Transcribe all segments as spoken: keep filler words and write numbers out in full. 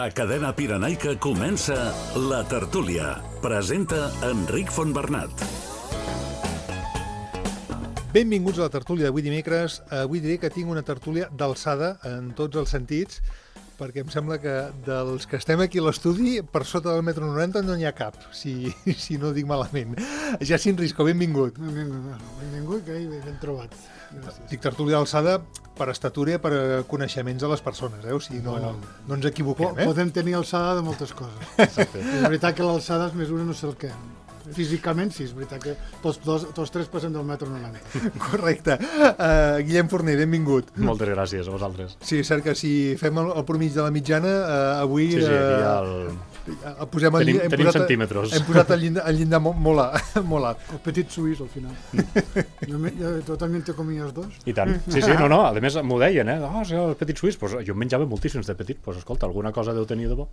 A Cadena Pirenaica comença La Tertúlia. Presenta Enric Fontbernat. Benvinguts a La Tertúlia d'avui dimecres. Avui diré que tinc una tertúlia d'alçada en tots els sentits, perquè em sembla que dels que estem aquí a l'estudi, per sota del metro noranta no n'hi ha cap, si, si no ho dic malament. Jacint Risco, benvingut. Benvingut, benvingut, que ben trobat. Gràcies. Dic tertúlia d'alçada per estatura i per coneixements de les persones, eh? O sigui, no, bueno, no ens equivoquem, eh? Podem tenir alçada de moltes coses. Exacte. És veritat que l'alçada es mesura no sé el què. Físicament sí, és veritat que tots, dos, tots tres passem del metro noranta. Correcte. Uh, Guillem Forner, benvingut. Moltes gràcies a vosaltres. Sí, és cert que si fem el, el promig de la mitjana, uh, avui... Sí, sí, aquí hi ha el... Uh, posem el, tenim hem tenim posat, centímetres. Hem posat el llindar, el llindar molt, molt, a, molt alt. El petit suís, al final. jo, me, jo, tu també te comies dos? I tant. Sí, sí, no, no, a més m'ho deien, eh? Oh, sí, el petit suís, pues, jo en menjava moltíssims de petit, pues escolta, alguna cosa deu tenir de bo.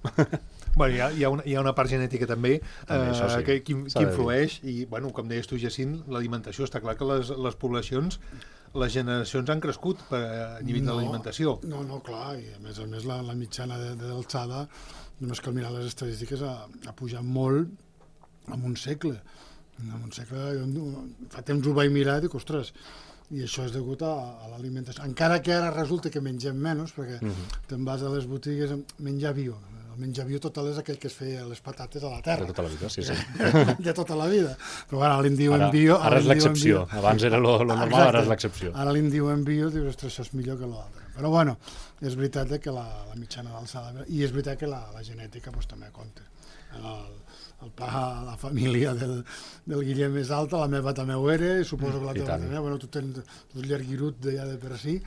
Bueno, hi ha, hi ha, una, hi ha una part genètica també, també eh, sí. que, que, que influeix, i bueno, com deies tu, Jacint, l'alimentació, està clar que les, les poblacions, les generacions han crescut per, a nivell no, de l'alimentació. No, no, clar, i a més a més la, la mitjana de, de l'alçada, només cal mirar les estadístiques, ha, ha pujat molt en un segle. En un segle, jo, fa temps ho vaig mirar i dic, ostres, i això és degut a, a l'alimentació. Encara que ara resulta que mengem menys, perquè uh -huh. te'n vas a les botigues a menjar bio. El menjar bio total és aquell que es feia les patates a la terra. De tota la vida, sí, sí. De tota la vida. Però bueno, ara li diuen ara, bio... Ara, ara és l'excepció. Abans era lo, lo normal, exacte. Ara és l'excepció. Ara li diuen bio, dius, ostres, això és millor que l'altre. Però bueno, és veritat que la, la mitjana d'alçada... I és veritat que la, la genètica pues, també compta. El, el pa, la família del, del Guillem és alta, la meva també ho era, i suposo que la teva també. Bueno, tu tens un llarguirut de, ja de per si,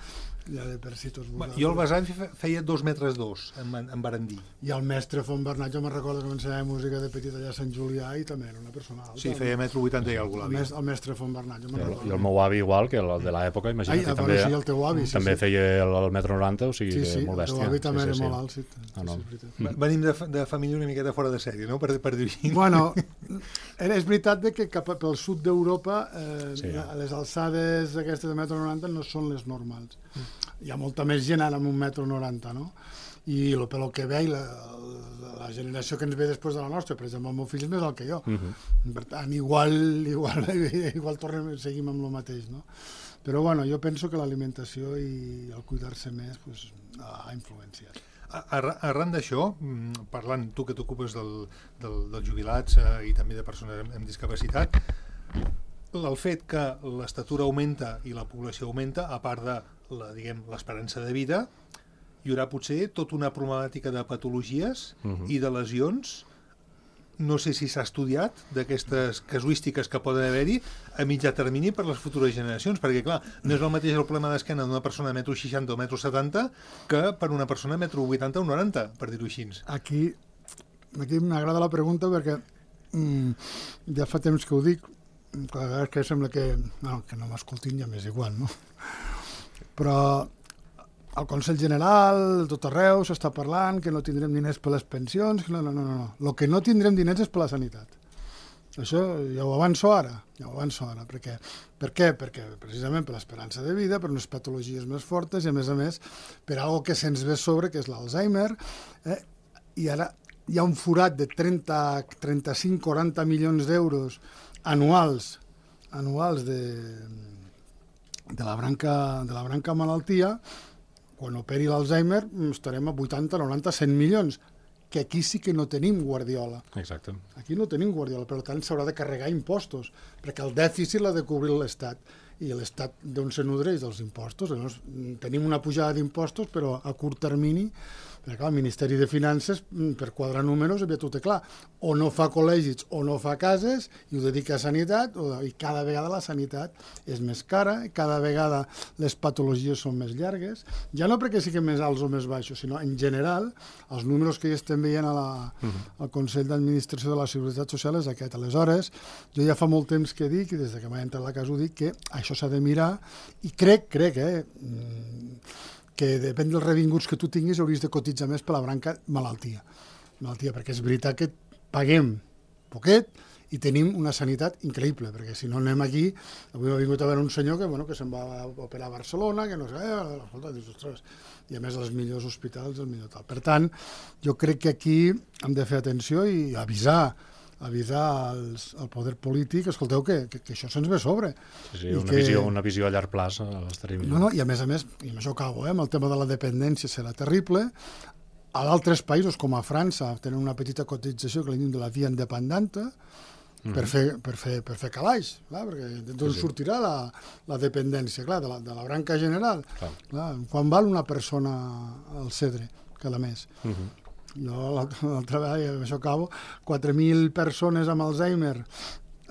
ja de per si tots vosaltres. Jo el besavi feia dos metres dos, en, en Barandí. I el mestre Fontbernat, jo me'n recordo que m'ensenyava música de petit allà a Sant Julià i també era una persona alta. Sí, feia metro vuitanta i alguna cosa. El, el mestre Fontbernat, jo me'n recordo. I el meu avi igual, que el de l'època, imagina't. Ai, també, sí, el teu avi, sí, també sí. feia el, el metro noranta, o sigui, sí, sí, molt bèstia. El teu avi també sí, era sí, molt sí. alt, sí. Ah, no. sí, sí Venim de, de família una miqueta fora de sèrie, no?, per, per dir-hi. Bueno, és veritat que cap pel sud d'Europa eh, sí. les alçades aquestes de metro noranta no són les normals. Hi ha molta més gent ara amb un metro noranta, no? I el, pel que veig, la, la generació que ens ve després de la nostra, per exemple, el meu fill és més alt que jo. Uh -huh. Per tant, igual, igual, igual tornem, seguim amb el mateix, no? Però bueno, jo penso que l'alimentació i el cuidar-se més pues, ha influenciat. Arran d'això, parlant, tu que t'ocupes del, del, dels jubilats eh, i també de persones amb, amb discapacitat, el fet que l'estatura augmenta i la població augmenta, a part de la, diguem, l'esperança de vida, hi haurà potser tota una problemàtica de patologies uh-huh. i de lesions. No sé si s'ha estudiat d'aquestes casuístiques que poden haver-hi a mitjà termini per les futures generacions, perquè clar, no és el mateix el problema d'esquena d'una persona de metro seixanta o metro setanta que per una persona de metro vuitanta o noranta, per dir-ho així. Aquí, aquí m'agrada la pregunta perquè mm, ja fa temps que ho dic, clar, que sembla que no, que no m'escoltin ja m'és igual, no? Però al Consell General, tot arreu, s'està parlant que no tindrem diners per les pensions, que no, no, no, no. El que no tindrem diners és per la sanitat. Això ja ho avanço ara, ja ho avanço ara. Perquè, per què? Perquè precisament per l'esperança de vida, per unes patologies més fortes i a més a més per algo que se'ns ve sobre, que és l'Alzheimer, eh? I ara hi ha un forat de trenta, trenta-cinc, quaranta milions d'euros anuals, anuals de, de, la branca, de la branca malaltia. Quan operi l'Alzheimer estarem a vuitanta, noranta, cent milions, que aquí sí que no tenim guardiola. Exacte. Aquí no tenim guardiola, per tant s'haurà de carregar impostos, perquè el dèficit l'ha de cobrir l'Estat, i l'Estat d'on se nodreix dels impostos. Llavors, tenim una pujada d'impostos, però a curt termini, perquè clar, el Ministeri de Finances, per quadrar números, aviat ho té clar, o no fa col·legis o no fa cases, i ho dedica a sanitat, o, i cada vegada la sanitat és més cara, cada vegada les patologies són més llargues, ja no perquè siguin més alts o més baixos, sinó en general, els números que ja estem veient a la, uh-huh. al Consell d'Administració de la Seguretat Social és aquest. Aleshores, jo ja fa molt temps que dic, i des que m'ha entrat a la casa ho dic, que això s'ha de mirar, i crec, crec, eh, que depèn dels revinguts que tu tinguis hauries de cotitzar més per la branca malaltia. Malaltia, perquè és veritat que paguem poquet i tenim una sanitat increïble, perquè si no anem aquí, avui ha vingut a veure un senyor que, bueno, que se'n va operar a Barcelona, que no sé, eh, escolta, dius, ostres, i a més els millors hospitals, el millor tal. Per tant, jo crec que aquí hem de fer atenció i avisar avisar als, al poder polític, escolteu, que, que, que això se'ns ve a sobre. Sí, sí, una, que... visió, una visió a llarg plaç estaria millor. No, no, i a més a més, i amb això acabo, eh, amb el tema de la dependència serà terrible. A d'altres països, com a França, tenen una petita cotització que li diuen de la via independenta, mm. per, fer, per, fer, per fer calaix, clar, perquè d'on sí, sí. sortirà la, la dependència, clar, de la, de la branca general. Clar. Clar, quan val una persona al Cedre, cada mes? Mm-hmm. Jo l'altra vegada, amb això acabo, quatre mil persones amb Alzheimer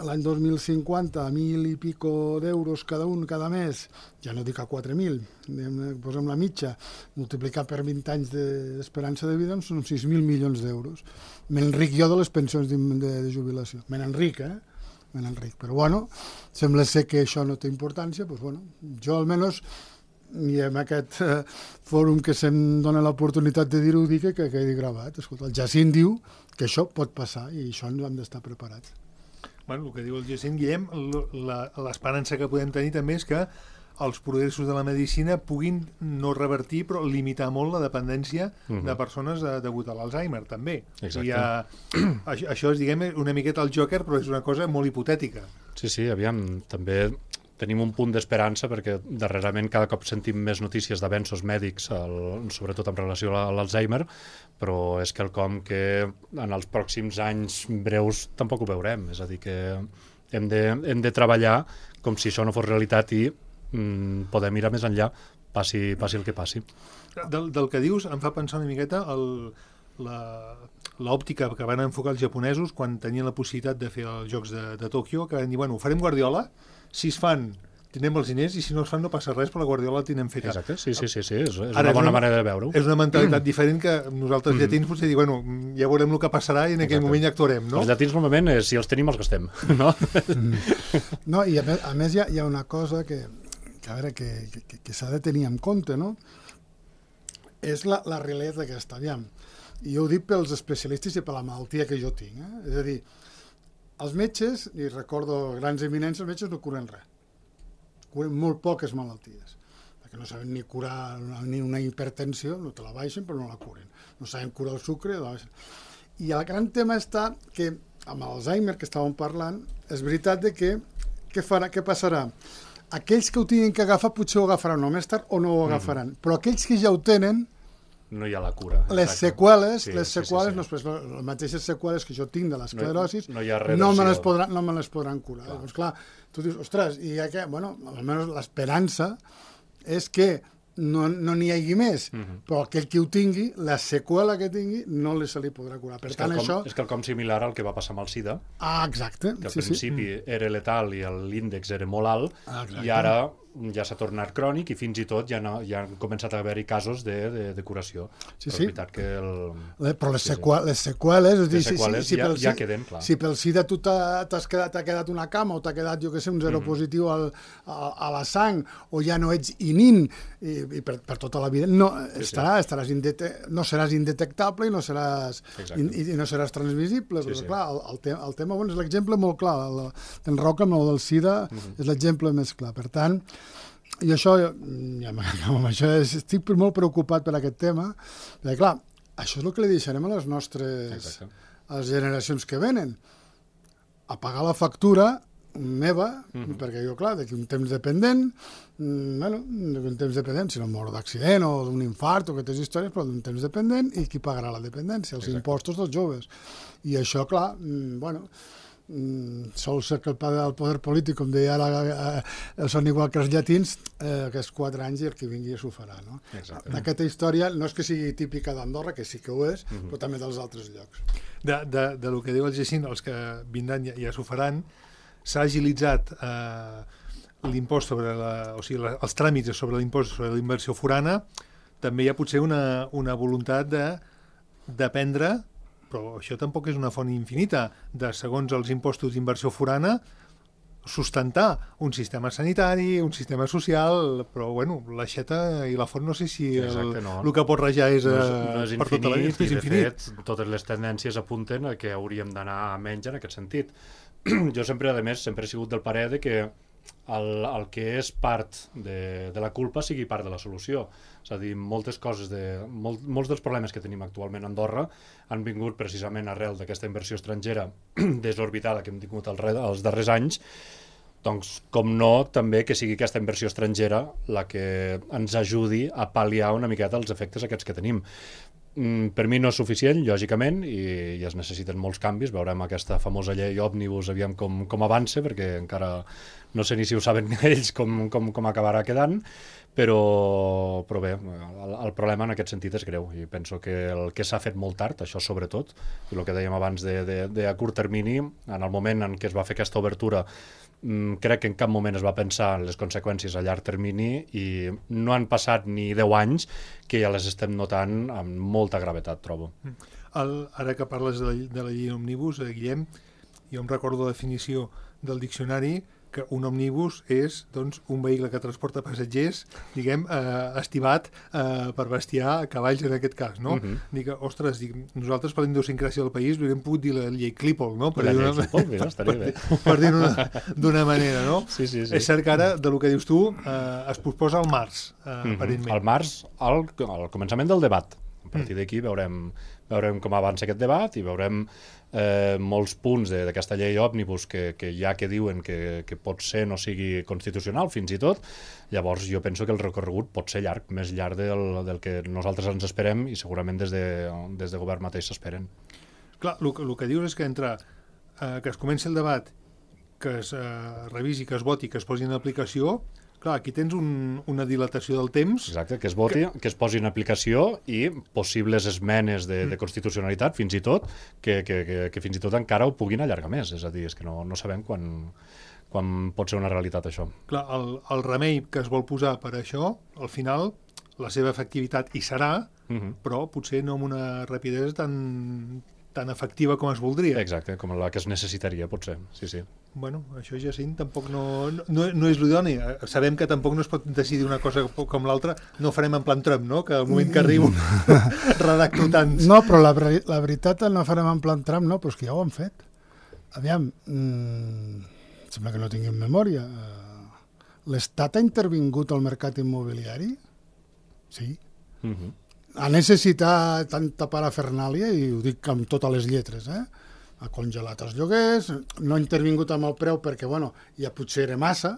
l'any dos mil cinquanta, mil i pico d'euros cada un cada mes, ja no dic a quatre mil, posem la mitja, multiplicar per vint anys d'esperança de vida són sis mil milions d'euros. M'enric jo de les pensions de, de, de jubilació. Me n'enric, eh? Me n'enric. Però bueno, sembla ser que això no té importància, doncs bueno, jo almenys, i en aquest eh, fòrum que se'm dona l'oportunitat de dir-ho, dic que quedi gravat. Escolta, el Jacint diu que això pot passar i això ens hem d'estar preparats. Bueno, el que diu el Jacint, Guillem, l'esperança que podem tenir també és que els progressos de la medicina puguin no revertir però limitar molt la dependència uh-huh. de persones de, degut a l'Alzheimer també. Exacte. Ha, això, això és, diguem, una miqueta el Joker, però és una cosa molt hipotètica. Sí, sí, aviam, també tenim un punt d'esperança perquè darrerament cada cop sentim més notícies d'avenços mèdics, el, sobretot en relació a l'Alzheimer, però és quelcom que en els pròxims anys breus tampoc ho veurem. És a dir, que hem de, hem de treballar com si això no fos realitat i mm, podem mirar més enllà, passi, passi el que passi. Del, del que dius em fa pensar una miqueta el, la, l'òptica que van enfocar els japonesos quan tenien la possibilitat de fer els Jocs de, de Tòquio, que van dir, bueno, farem Guardiola, si es fan tindrem els diners i si no es fan no passa res, però la Guardiola la tindrem feta. Exacte, sí, sí, sí, sí. És, és Ara, una bona és una, manera de veure-ho. És una mentalitat mm. diferent que nosaltres mm. llatins potser dir, bueno, ja veurem el que passarà i en aquell Exacte. moment ja actuarem, no? Els llatins normalment, és, si els tenim, els gastem, no? Mm. No, i a més, a més hi, ha, hi ha una cosa que, que a veure, que, que, que s'ha de tenir en compte, no? És la, la realitat d'aquesta, aviam. I jo ho dic pels especialistes i per la malaltia que jo tinc, eh? És a dir, els metges, i recordo grans eminents, els metges no curen res. Curen molt poques malalties, perquè no saben ni curar ni una hipertensió, no te la baixen però no la curen, no saben curar el sucre, la baixen. I el gran tema està que amb l'Alzheimer que estàvem parlant, és veritat de que què, farà, què passarà? Aquells que ho tinguin que agafar potser ho agafaran o més tard o no ho agafaran, mm. però aquells que ja ho tenen no hi ha la cura. Les exacte. seqüeles, sí, les seqüeles, sí, sí, sí. No, les mateixes seqüeles que jo tinc de l'esclerosi, no, no, no, me les podran, no me les podran curar. Clar. Doncs clar, tu dius, ostres, i ja que, bueno, almenys l'esperança és que no n'hi no hagi més, uh-huh. però aquell que ho tingui, la seqüela que tingui, no li se li podrà curar. Per és tant, quelcom, això... És quelcom similar al que va passar amb el SIDA. Ah, exacte. Que al sí, principi sí. era letal i l'índex era molt alt, ah, i ara ja s'ha tornat crònic i fins i tot ja, no, ja han començat a haver-hi casos de, de, de curació. Sí, però sí. és veritat que el... Le, però les, sí, seqüeles, les seqüeles... És dir, les seqüeles si, si, si ja, pel, ja queden, clar. Si pel SIDA tu t'has quedat, quedat una cama o t'ha quedat, jo què sé, un zero mm-hmm. positiu al, a, a la sang o ja no ets inint i, i per, per tota la vida, no, sí, estarà, sí. estaràs indete, no seràs indetectable i no seràs, in, i, i no seràs transmissible. Sí, però, sí. clar, el, el, te, el tema bueno, és l'exemple molt clar. T'enroca amb el del SIDA, mm-hmm. és l'exemple més clar. Per tant, i això, ja amb això estic molt preocupat per aquest tema, perquè clar, això és el que li deixarem a les nostres Exacte. a les generacions que venen, a pagar la factura meva, mm-hmm. perquè jo, clar, d'aquí un temps dependent, bueno, d'un temps dependent, si no moro d'accident o d'un infart o aquestes històries, però d'un temps dependent, i qui pagarà la dependència? Els Exacte. impostos dels joves. I això, clar, bueno... sol ser que el poder polític, com deia ara, eh, són igual que els llatins, eh, aquests quatre anys i el que vingui s'ho farà. No? Aquesta història no és que sigui típica d'Andorra, que sí que ho és, uh-huh. però també dels altres llocs. De, de, de lo que diu el Jacint, els que vindran ja, ja s'ho faran, s'ha agilitzat eh, l'impost sobre la, o sigui, la, els tràmits sobre l'impost sobre la inversió forana, també hi ha potser una, una voluntat de d'aprendre, però això tampoc és una font infinita, de, segons els impostos d'inversió forana, sustentar un sistema sanitari, un sistema social, però, bueno, l'aixeta i la font no sé si el, Exacte, no. el que pot rajar és, no és, no és per infinit, tota la vida. I, de fet, totes les tendències apunten a que hauríem d'anar a menys en aquest sentit. jo sempre, a més, sempre he sigut del parer de que el, el que és part de, de la culpa sigui part de la solució. És a dir, moltes coses, de, molt, molts dels problemes que tenim actualment a Andorra han vingut precisament arrel d'aquesta inversió estrangera desorbitada que hem tingut els, els darrers anys. Doncs, com no, també que sigui aquesta inversió estrangera la que ens ajudi a pal·liar una miqueta els efectes aquests que tenim. Mm, per mi no és suficient, lògicament, i, i es necessiten molts canvis. Veurem aquesta famosa llei òmnibus, aviam com, com avança, perquè encara no sé ni si ho saben ells com, com, com acabarà quedant, però, però bé, el, el problema en aquest sentit és greu, i penso que el que s'ha fet molt tard, això sobretot, i el que dèiem abans de, de, de a curt termini, en el moment en què es va fer aquesta obertura, mm, crec que en cap moment es va pensar en les conseqüències a llarg termini, i no han passat ni deu anys que ja les estem notant amb molta gravetat, trobo. El, ara que parles de la, de la llei òmnibus, eh, Guillem, jo em recordo la definició del diccionari, que un òmnibus és, doncs, un vehicle que transporta passatgers, diguem, eh, estimat eh, per bestiar cavalls en aquest cas, no? Uh-huh. Dic, ostres, dic, nosaltres per la idiosincràsia del país li hauríem pogut dir la llei Clípol, no? Per la llei una, Clípol, mira, estaria bé. Per, per dir-ho d'una manera, no? Sí, sí, sí. És cert que ara, de lo que dius tu, eh, es posposa al març, eh, uh-huh. aparentment. Al març, al, al començament del debat. A partir d'aquí veurem, veurem com avança aquest debat i veurem eh, molts punts d'aquesta llei òmnibus que, que ja que diuen que, que pot ser no sigui constitucional fins i tot. Llavors jo penso que el recorregut pot ser llarg, més llarg del, del que nosaltres ens esperem i segurament des de, des de govern mateix s'esperen. Clar, el, el que dius és que entre eh, que es comenci el debat, que es eh, revisi, que es voti, que es posi en aplicació. Clar, aquí tens un, una dilatació del temps. Exacte, que es voti, que, que es posi en aplicació i possibles esmenes de, de constitucionalitat, fins i tot, que, que, que, que fins i tot encara ho puguin allargar més. És a dir, és que no, no sabem quan, quan pot ser una realitat això. Clar, el, el remei que es vol posar per això, al final, la seva efectivitat hi serà, uh-huh. però potser no amb una rapidesa tan, tan efectiva com es voldria. Exacte, com la que es necessitaria, potser, sí, sí. Bueno, això, Jacint, tampoc no, no, no és l'idoni. Sabem que tampoc no es pot decidir una cosa com l'altra. No ho farem en plan Trump, no? Que al moment que arribo redacto tants. No, però la, la veritat no farem en plan Trump, no, però és que ja ho han fet. Aviam, mmm, sembla que no tinguin memòria. L'Estat ha intervingut al mercat immobiliari? Sí. Uh-huh. Ha necessitat tanta parafernàlia, i ho dic amb totes les lletres, eh? Ha congelat els lloguers, no ha intervingut amb el preu perquè, bueno, ja potser era massa,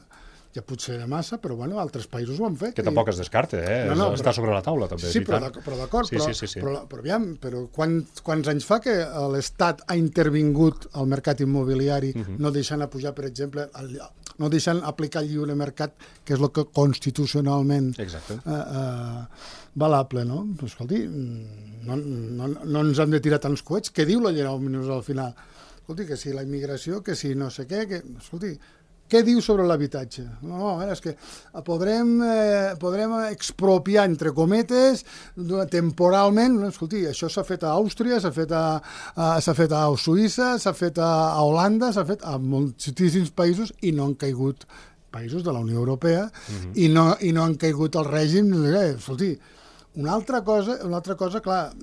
ja potser era massa, però, bueno, altres països ho han fet. Que tampoc es descarta, eh? No, no, està però, sobre la taula, també. Sí, però, però d'acord, sí, però, sí, sí, sí. però, però, aviam, però quants, quants anys fa que l'Estat ha intervingut al mercat immobiliari, uh-huh. no deixant a pujar, per exemple, el, no deixant aplicar el lliure mercat, que és el que constitucionalment eh, eh, valable, no? Però, escolti, no, no, no ens hem de tirar tants coets. Què diu la llei òmnibus al final? Escolti, que si la immigració, que si no sé què, que... Escolti, què diu sobre l'habitatge? No, a veure, és que podrem, eh, podrem expropiar, entre cometes, temporalment. No, escolti, això s'ha fet a Àustria, s'ha fet a, a, s'ha fet a Suïssa, s'ha fet a, a Holanda, s'ha fet a moltíssims països i no han caigut països de la Unió Europea uh-huh. i, no, i no han caigut el règim. Eh, escolti, una altra cosa, una altra cosa, clar,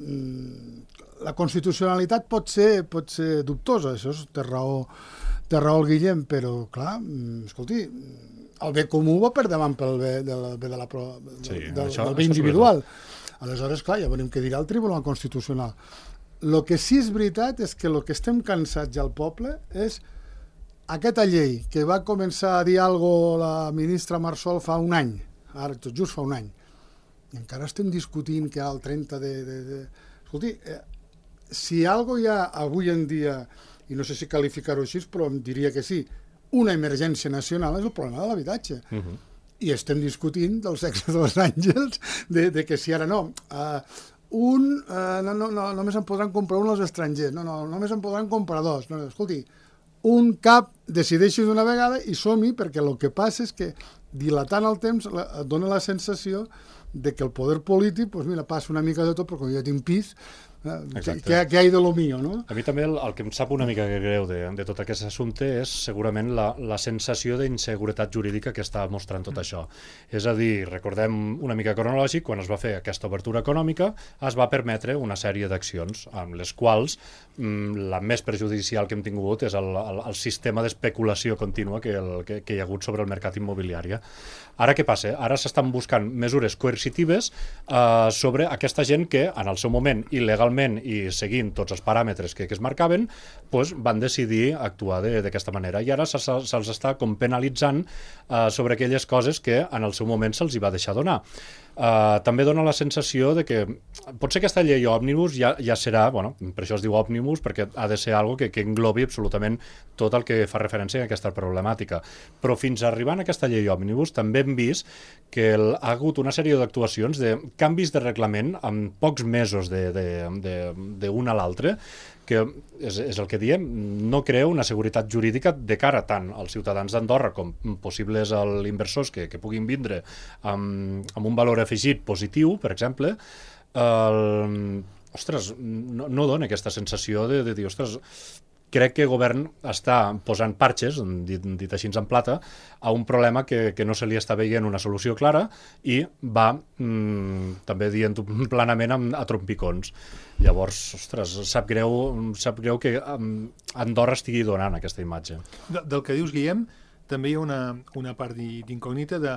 la constitucionalitat pot ser, pot ser dubtosa, això és, té raó, té raó el Guillem, però, clar, escolti, el bé comú va per davant pel bé de la, bé de la, sí, del, això, del bé individual. Aleshores, clar, ja veurem què dirà el Tribunal Constitucional. El que sí és veritat és que el que estem cansats ja al poble és aquesta llei que va començar a dir alguna cosa la ministra Marsol fa un any, ara tot just fa un any, i encara estem discutint que al trenta de... de, de... Escolti, eh, si alguna cosa hi ha avui en dia, i no sé si qualificar-ho així, però em diria que sí, una emergència nacional és el problema de l'habitatge. Uh-huh. I estem discutint del sexe dels àngels, de, de que si ara no, uh, un, uh, no, no, no, només en podran comprar un als estrangers, no, no, només en podran comprar dos. No, escolti, un cap decideixi d'una vegada i som-hi, perquè el que passa és que dilatant el temps dona la sensació de que el poder polític, doncs mira, passa una mica de tot, però quan jo ja tinc pis, què, què hi ha de lo mío, no? A mi també el, el que em sap una mica greu de, de tot aquest assumpte és segurament la, la sensació d'inseguretat jurídica que està mostrant tot això. És a dir, recordem una mica cronològic, quan es va fer aquesta obertura econòmica es va permetre una sèrie d'accions amb les quals mm, la més perjudicial que hem tingut és el, el, el sistema d'especulació contínua que, el, que, que hi ha hagut sobre el mercat immobiliari. Ara què passa? Ara s'estan buscant mesures coercitives eh, sobre aquesta gent que en el seu moment il·legalment i seguint tots els paràmetres que, que es marcaven pues, van decidir actuar d'aquesta manera i ara se'ls se, se està com penalitzant eh, sobre aquelles coses que en el seu moment se'ls hi va deixar donar. Uh, també dona la sensació de que potser aquesta llei òmnibus ja, ja serà, bueno, per això es diu òmnibus, perquè ha de ser algo que, que englobi absolutament tot el que fa referència a aquesta problemàtica. Però fins a arribar a aquesta llei òmnibus també hem vist que el, ha hagut una sèrie d'actuacions de canvis de reglament en pocs mesos d'un a l'altre, que és, és el que diem, no crea una seguretat jurídica de cara tant als ciutadans d'Andorra com possibles als inversors que, que puguin vindre amb, amb un valor afegit positiu, per exemple. El, ostres, no, no dona aquesta sensació de, de dir, ostres, crec que el govern està posant parxes, dit, dit així en plata, a un problema que, que no se li està veient una solució clara i va, mmm, també dient planament, a, a trompicons. Llavors, ostres, sap greu, sap greu que um, Andorra estigui donant aquesta imatge. De, del que dius, Guillem, també hi ha una, una part d'incògnita de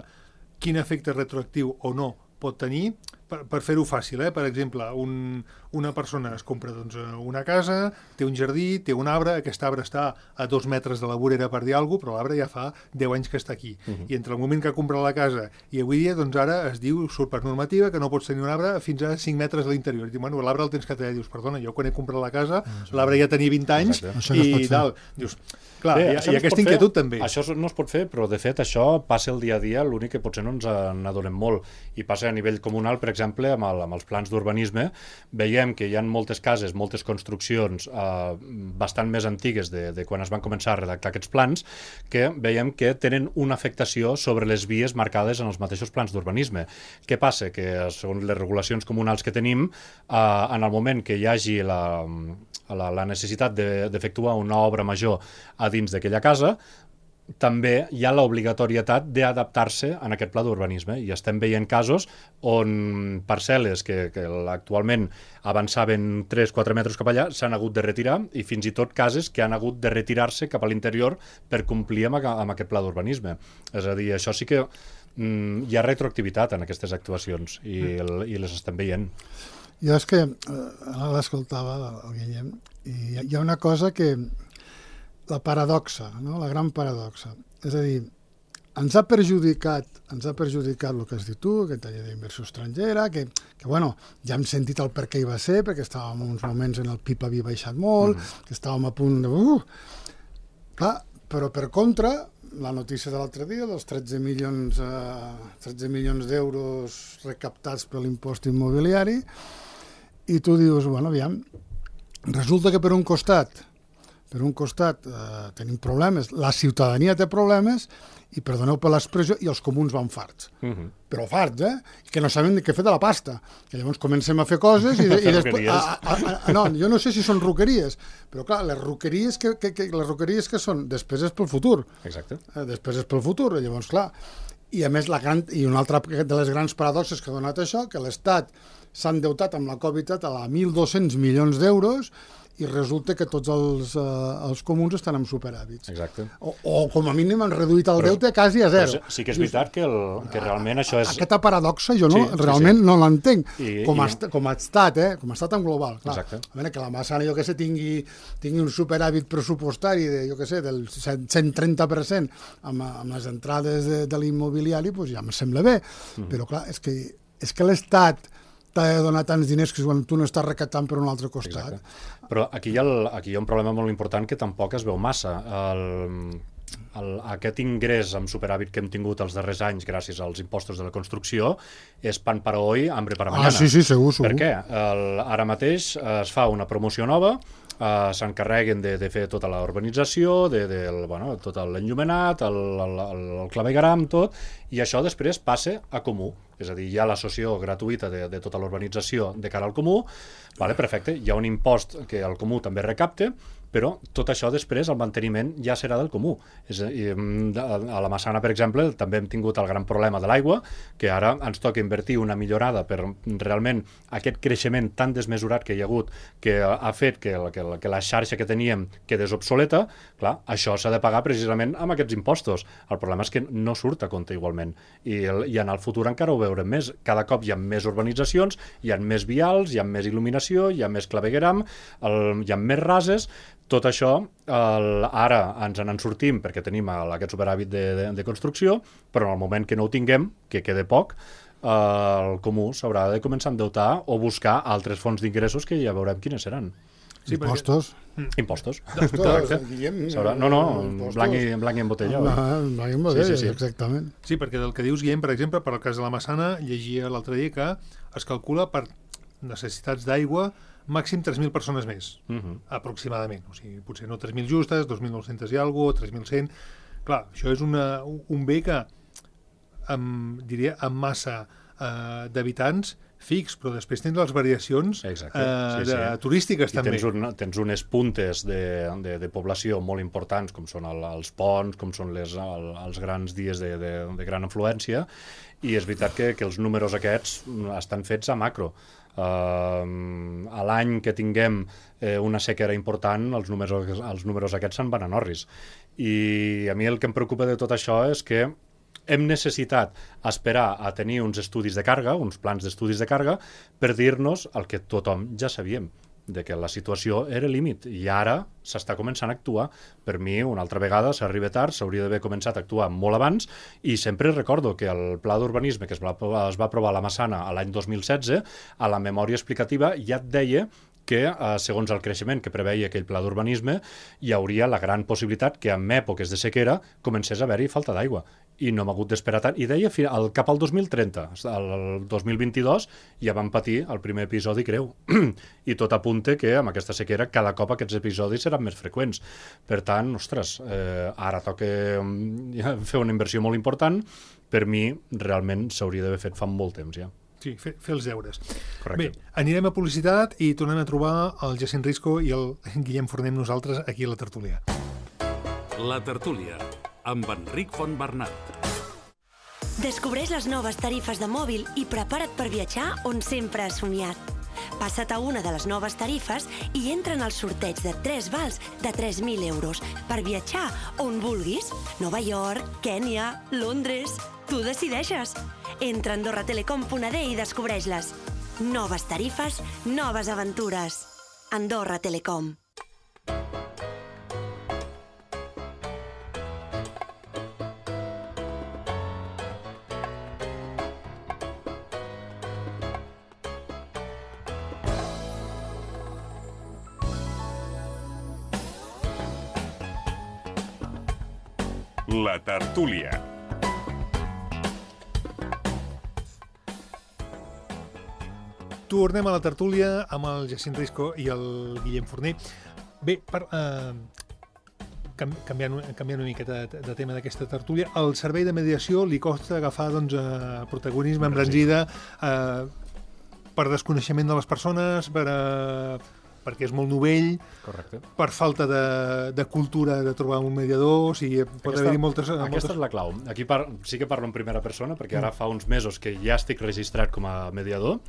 quin efecte retroactiu o no pot tenir, per, per fer-ho fàcil, eh? Per exemple, un, una persona es compra doncs, una casa, té un jardí, té un arbre, aquest arbre està a dos metres de la vorera, per dir alguna cosa, però l'arbre ja fa deu anys que està aquí. Uh-huh. I entre el moment que ha comprat la casa i avui dia, doncs ara es diu, surt per normativa, que no pots tenir un arbre fins a cinc metres a l'interior. I diu, bueno, l'arbre el tens que tallar. Dius, perdona, jo quan he comprat la casa, uh-huh. l'arbre ja tenia vint anys i tal. Dius, clar, Bé, i, i aquesta inquietud fer, també. Això no es pot fer, però de fet això passa el dia a dia, l'únic que potser no ens n'adonem molt. I passa a nivell comunal, per exemple, amb, el, amb els plans d'urbanisme, veiem que hi ha moltes cases, moltes construccions eh, bastant més antigues de, de quan es van començar a redactar aquests plans, que veiem que tenen una afectació sobre les vies marcades en els mateixos plans d'urbanisme. Què passa? Que segons les regulacions comunals que tenim, eh, en el moment que hi hagi la, la, la necessitat d'efectuar de, una obra major a dins d'aquella casa, també hi ha l'obligatorietat d'adaptar-se en aquest pla d'urbanisme i estem veient casos on parcel·les que, que actualment avançaven tres quatre metres cap allà s'han hagut de retirar i fins i tot cases que han hagut de retirar-se cap a l'interior per complir amb, amb aquest pla d'urbanisme. És a dir, això sí que mm, hi ha retroactivitat en aquestes actuacions i, el, i les estem veient. Jo és que eh, ara l'escoltava el Guillem i hi ha una cosa que la paradoxa, no? La gran paradoxa. És a dir, ens ha perjudicat, ens ha perjudicat el que has dit tu, aquesta llei d'inversió estrangera, que, que bueno, ja hem sentit el per què hi va ser, perquè estàvem en uns moments en el P I B havia baixat molt, mm. que estàvem a punt de... Uh, clar, però per contra, la notícia de l'altre dia, dels tretze milions, eh, tretze milions d'euros recaptats per l'impost immobiliari, i tu dius, bueno, aviam, resulta que per un costat per un costat eh, tenim problemes, la ciutadania té problemes i, perdoneu per l'expressió, i els comuns van farts. Uh-huh. Però farts, eh? Que no saben què fer de la pasta. Que llavors comencem a fer coses i, de, i després... A, a, a, no, jo no sé si són roqueries, però clar, les roqueries que, que, que, les roqueries que són, després és pel futur. Exacte. Eh, després és pel futur, llavors, clar. I a més, la gran, i una altra de les grans paradoxes que ha donat això, que l'Estat s'ha endeutat amb la Covid a mil dos-cents milions d'euros i resulta que tots els, eh, els comuns estan amb superàvits. Exacte. O, o com a mínim han reduït el però, deute quasi a zero. Sí que és veritat que, el, que realment això és... Aquesta paradoxa jo no, sí, realment sí, sí. no l'entenc, com, i... com a estat, eh? com a estat en global. Clar. Exacte. A veure, que la Massana, jo que sé, tingui, tingui un superàvit pressupostari de, jo que sé, del cent trenta per cent amb, amb les entrades de, de l'immobiliari, doncs ja em sembla bé. Mm. Però clar, és que, és que l'Estat t'ha de donar tants diners que quan tu no estàs recaptant per un altre costat. Exacte. Però aquí hi, ha el, aquí hi ha un problema molt important que tampoc es veu massa. El, el, aquest ingrés amb superàvit que hem tingut els darrers anys gràcies als impostos de la construcció és pan para hoy, hambre para mañana. Ah, sí, sí, segur, segur. Per què? El, ara mateix es fa una promoció nova uh, s'encarreguen de, de fer tota la urbanització, de, de, bueno, tot l'enllumenat, el, el, el clavegueram, tot, i això després passa a comú. És a dir, hi ha la cessió gratuïta de, de tota l'urbanització de cara al comú, vale, perfecte, hi ha un impost que el comú també recapta, però tot això després, el manteniment, ja serà del comú. És a, dir, a la Massana, per exemple, també hem tingut el gran problema de l'aigua, que ara ens toca invertir una millorada per realment aquest creixement tan desmesurat que hi ha hagut, que ha fet que, que, que la xarxa que teníem quedés obsoleta. Clar, això s'ha de pagar precisament amb aquests impostos. El problema és que no surt a compte igualment. I, el, i en el futur encara ho veurem més. Cada cop hi ha més urbanitzacions, hi ha més vials, hi ha més il·luminació, hi ha més clavegueram, el, hi ha més rases. Tot això, el, ara ens en sortim perquè tenim el, aquest superàvit de, de, de construcció, però en el moment que no ho tinguem, que quede poc, eh, el comú s'haurà de començar a endeutar o buscar altres fonts d'ingressos que ja veurem quines seran. Sí, impostos. Perquè... Impostos. Correcte. No, no, en blanc i, en blanc i en botella. Ah, en blanc i en botella, sí, sí, sí. Exactament. Sí, perquè del que dius, Guillem, per exemple, per al cas de la Massana, llegia l'altre dia que es calcula per necessitats d'aigua màxim tres mil persones més, uh-huh. aproximadament. O sigui, potser no tres mil justes, dos mil nou-cents i alguna cosa, tres mil cent. Clar, això és una, un bé que, amb, diria, amb massa eh, d'habitants fix, però després tens les variacions eh, sí, de, sí. turístiques I també. Tens, un, tens unes puntes de, de, de població molt importants, com són el, els ponts, com són les, el, els grans dies de, de, de gran afluència, i és veritat que, que els números aquests estan fets a macro. Uh, a l'any que tinguem eh, una sequera important, els números, els números aquests se'n van a Norris. I a mi el que em preocupa de tot això és que hem necessitat esperar a tenir uns estudis de càrrega, uns plans d'estudis de càrrega, per dir-nos el que tothom ja sabíem, de que la situació era límit, i ara s'està començant a actuar. Per mi, una altra vegada, s'arriba tard, s'hauria d'haver començat a actuar molt abans, i sempre recordo que el pla d'urbanisme que es va, es va aprovar a la Massana l'any dos mil setze, a la memòria explicativa ja et deia que, eh, segons el creixement que preveia aquell pla d'urbanisme, hi hauria la gran possibilitat que en èpoques de sequera comencés a haver-hi falta d'aigua. I no hem hagut d'esperar tant. I deia al, cap al dos mil trenta, el dos mil vint-i-dos, ja vam patir el primer episodi greu. I tot apunta que amb aquesta sequera cada cop aquests episodis seran més freqüents. Per tant, ostres, eh, ara toca fer una inversió molt important. Per mi, realment, s'hauria d'haver fet fa molt temps ja. Sí, fer, fer els deures. Correcte. Bé, anirem a publicitat i tornem a trobar el Jacint Risco i el Guillem Forner amb nosaltres aquí a la tertúlia. La tertúlia, amb Enric Fontbernat. Descobreix les noves tarifes de mòbil i prepara't per viatjar on sempre has somiat. Passa't a una de les noves tarifes i entra en el sorteig de tres vals de tres mil euros per viatjar on vulguis. Nova York, Kènia, Londres... Tu decideixes. Entra a andorra telecom punt a d i descobreix-les. Noves tarifes, noves aventures. Andorra Telecom. La tertúlia. Tornem a la tertúlia amb el Jacint Risco i el Guillem Forner. Bé, per, eh, canviant, canviant una miqueta de, de tema d'aquesta tertúlia, el servei de mediació li costa agafar doncs, eh, protagonisme, embranzida, eh, per desconeixement de les persones, per, eh, perquè és molt novell, correcte, per falta de, de cultura de trobar un mediador, o sigui, pot aquesta, haver-hi moltes... Aquesta moltes... és la clau. Aquí par sí que parlo en primera persona, perquè ara fa uns mesos que ja estic registrat com a mediador,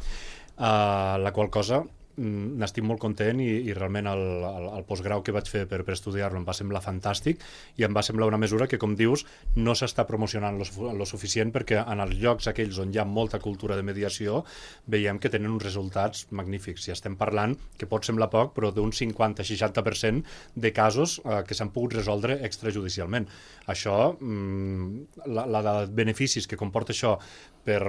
Uh, la qual cosa mm, n'estic molt content i, i realment el, el, el postgrau que vaig fer per, per estudiar-lo em va semblar fantàstic i em va semblar una mesura que, com dius, no s'està promocionant lo, lo suficient, perquè en els llocs aquells on hi ha molta cultura de mediació veiem que tenen uns resultats magnífics. I estem parlant, que pot semblar poc, però d'un cinquanta a seixanta per cent de casos uh, que s'han pogut resoldre extrajudicialment. Això, mm, la, la de beneficis que comporta això per,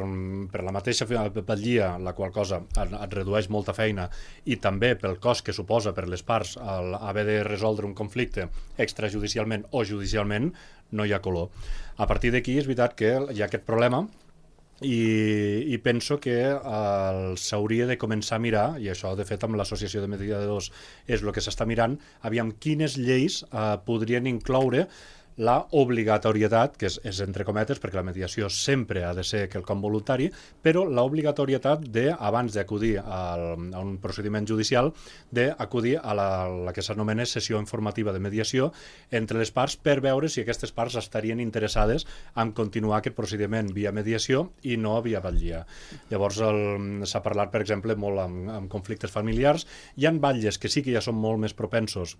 per la mateixa batllia, la qual cosa et, et redueix molta feina, i també pel cost que suposa per les parts el haver de resoldre un conflicte extrajudicialment o judicialment, no hi ha color. A partir d'aquí és veritat que hi ha aquest problema i, i penso que eh, s'hauria de començar a mirar, i això de fet amb l'associació de mediadors és el que s'està mirant, aviam quines lleis eh, podrien incloure la obligatorietat, que és, és entre cometes, perquè la mediació sempre ha de ser quelcom voluntari, però la obligatorietat de, abans d'acudir al, a un procediment judicial, d'acudir a la, la que s'anomena sessió informativa de mediació entre les parts per veure si aquestes parts estarien interessades en continuar aquest procediment via mediació i no via batllia. Llavors s'ha parlat, per exemple, molt amb, amb conflictes familiars. Hi ha batlles que sí que ja són molt més propensos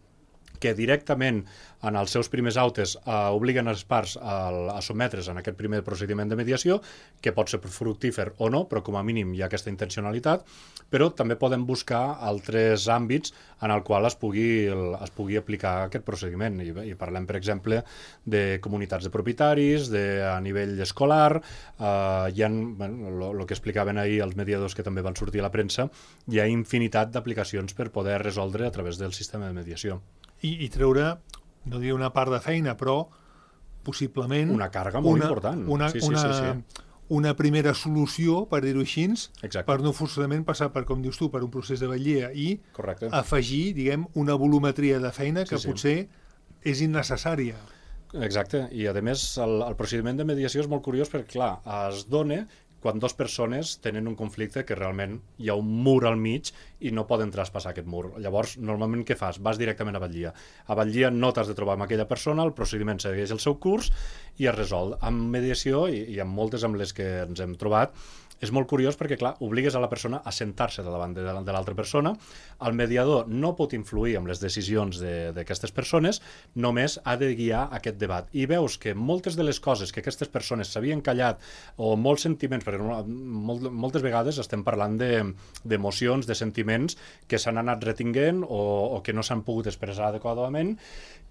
que directament en els seus primers autes eh, obliguen les parts a, a sotmetre's en aquest primer procediment de mediació, que pot ser fructífer o no, però com a mínim hi ha aquesta intencionalitat, però també podem buscar altres àmbits en el qual es pugui, es pugui aplicar aquest procediment. I, i parlem, per exemple, de comunitats de propietaris, de, a nivell escolar, eh, hi ha, bueno, el que explicaven ahir els mediadors que també van sortir a la premsa, hi ha infinitat d'aplicacions per poder resoldre a través del sistema de mediació. I, i treure, no diré una part de feina, però possiblement... Una càrrega molt una, important. Una, sí, sí, una, sí, sí. una primera solució, per dir-ho així, Exacte. per no forçadament passar, per com dius tu, per un procés de batllia i Correcte. afegir, diguem, una volumetria de feina que sí, sí. potser és innecessària. Exacte, i a més el, el procediment de mediació és molt curiós perquè, clar, es dona quan dues persones tenen un conflicte que realment hi ha un mur al mig i no poden traspassar aquest mur. Llavors, normalment què fas? Vas directament a batllia. A batllia no t'has de trobar amb aquella persona, el procediment segueix el seu curs i es resol. Amb mediació, i, i amb moltes amb les que ens hem trobat, és molt curiós perquè, clar, obligues a la persona a sentar-se davant de, de l'altra persona. El mediador no pot influir en les decisions d'aquestes de, persones, només ha de guiar aquest debat. I veus que moltes de les coses que aquestes persones s'havien callat, o molts sentiments, perquè molt, moltes vegades estem parlant d'emocions, de, de sentiments que s'han anat retinguent o, o que no s'han pogut expressar adequadament,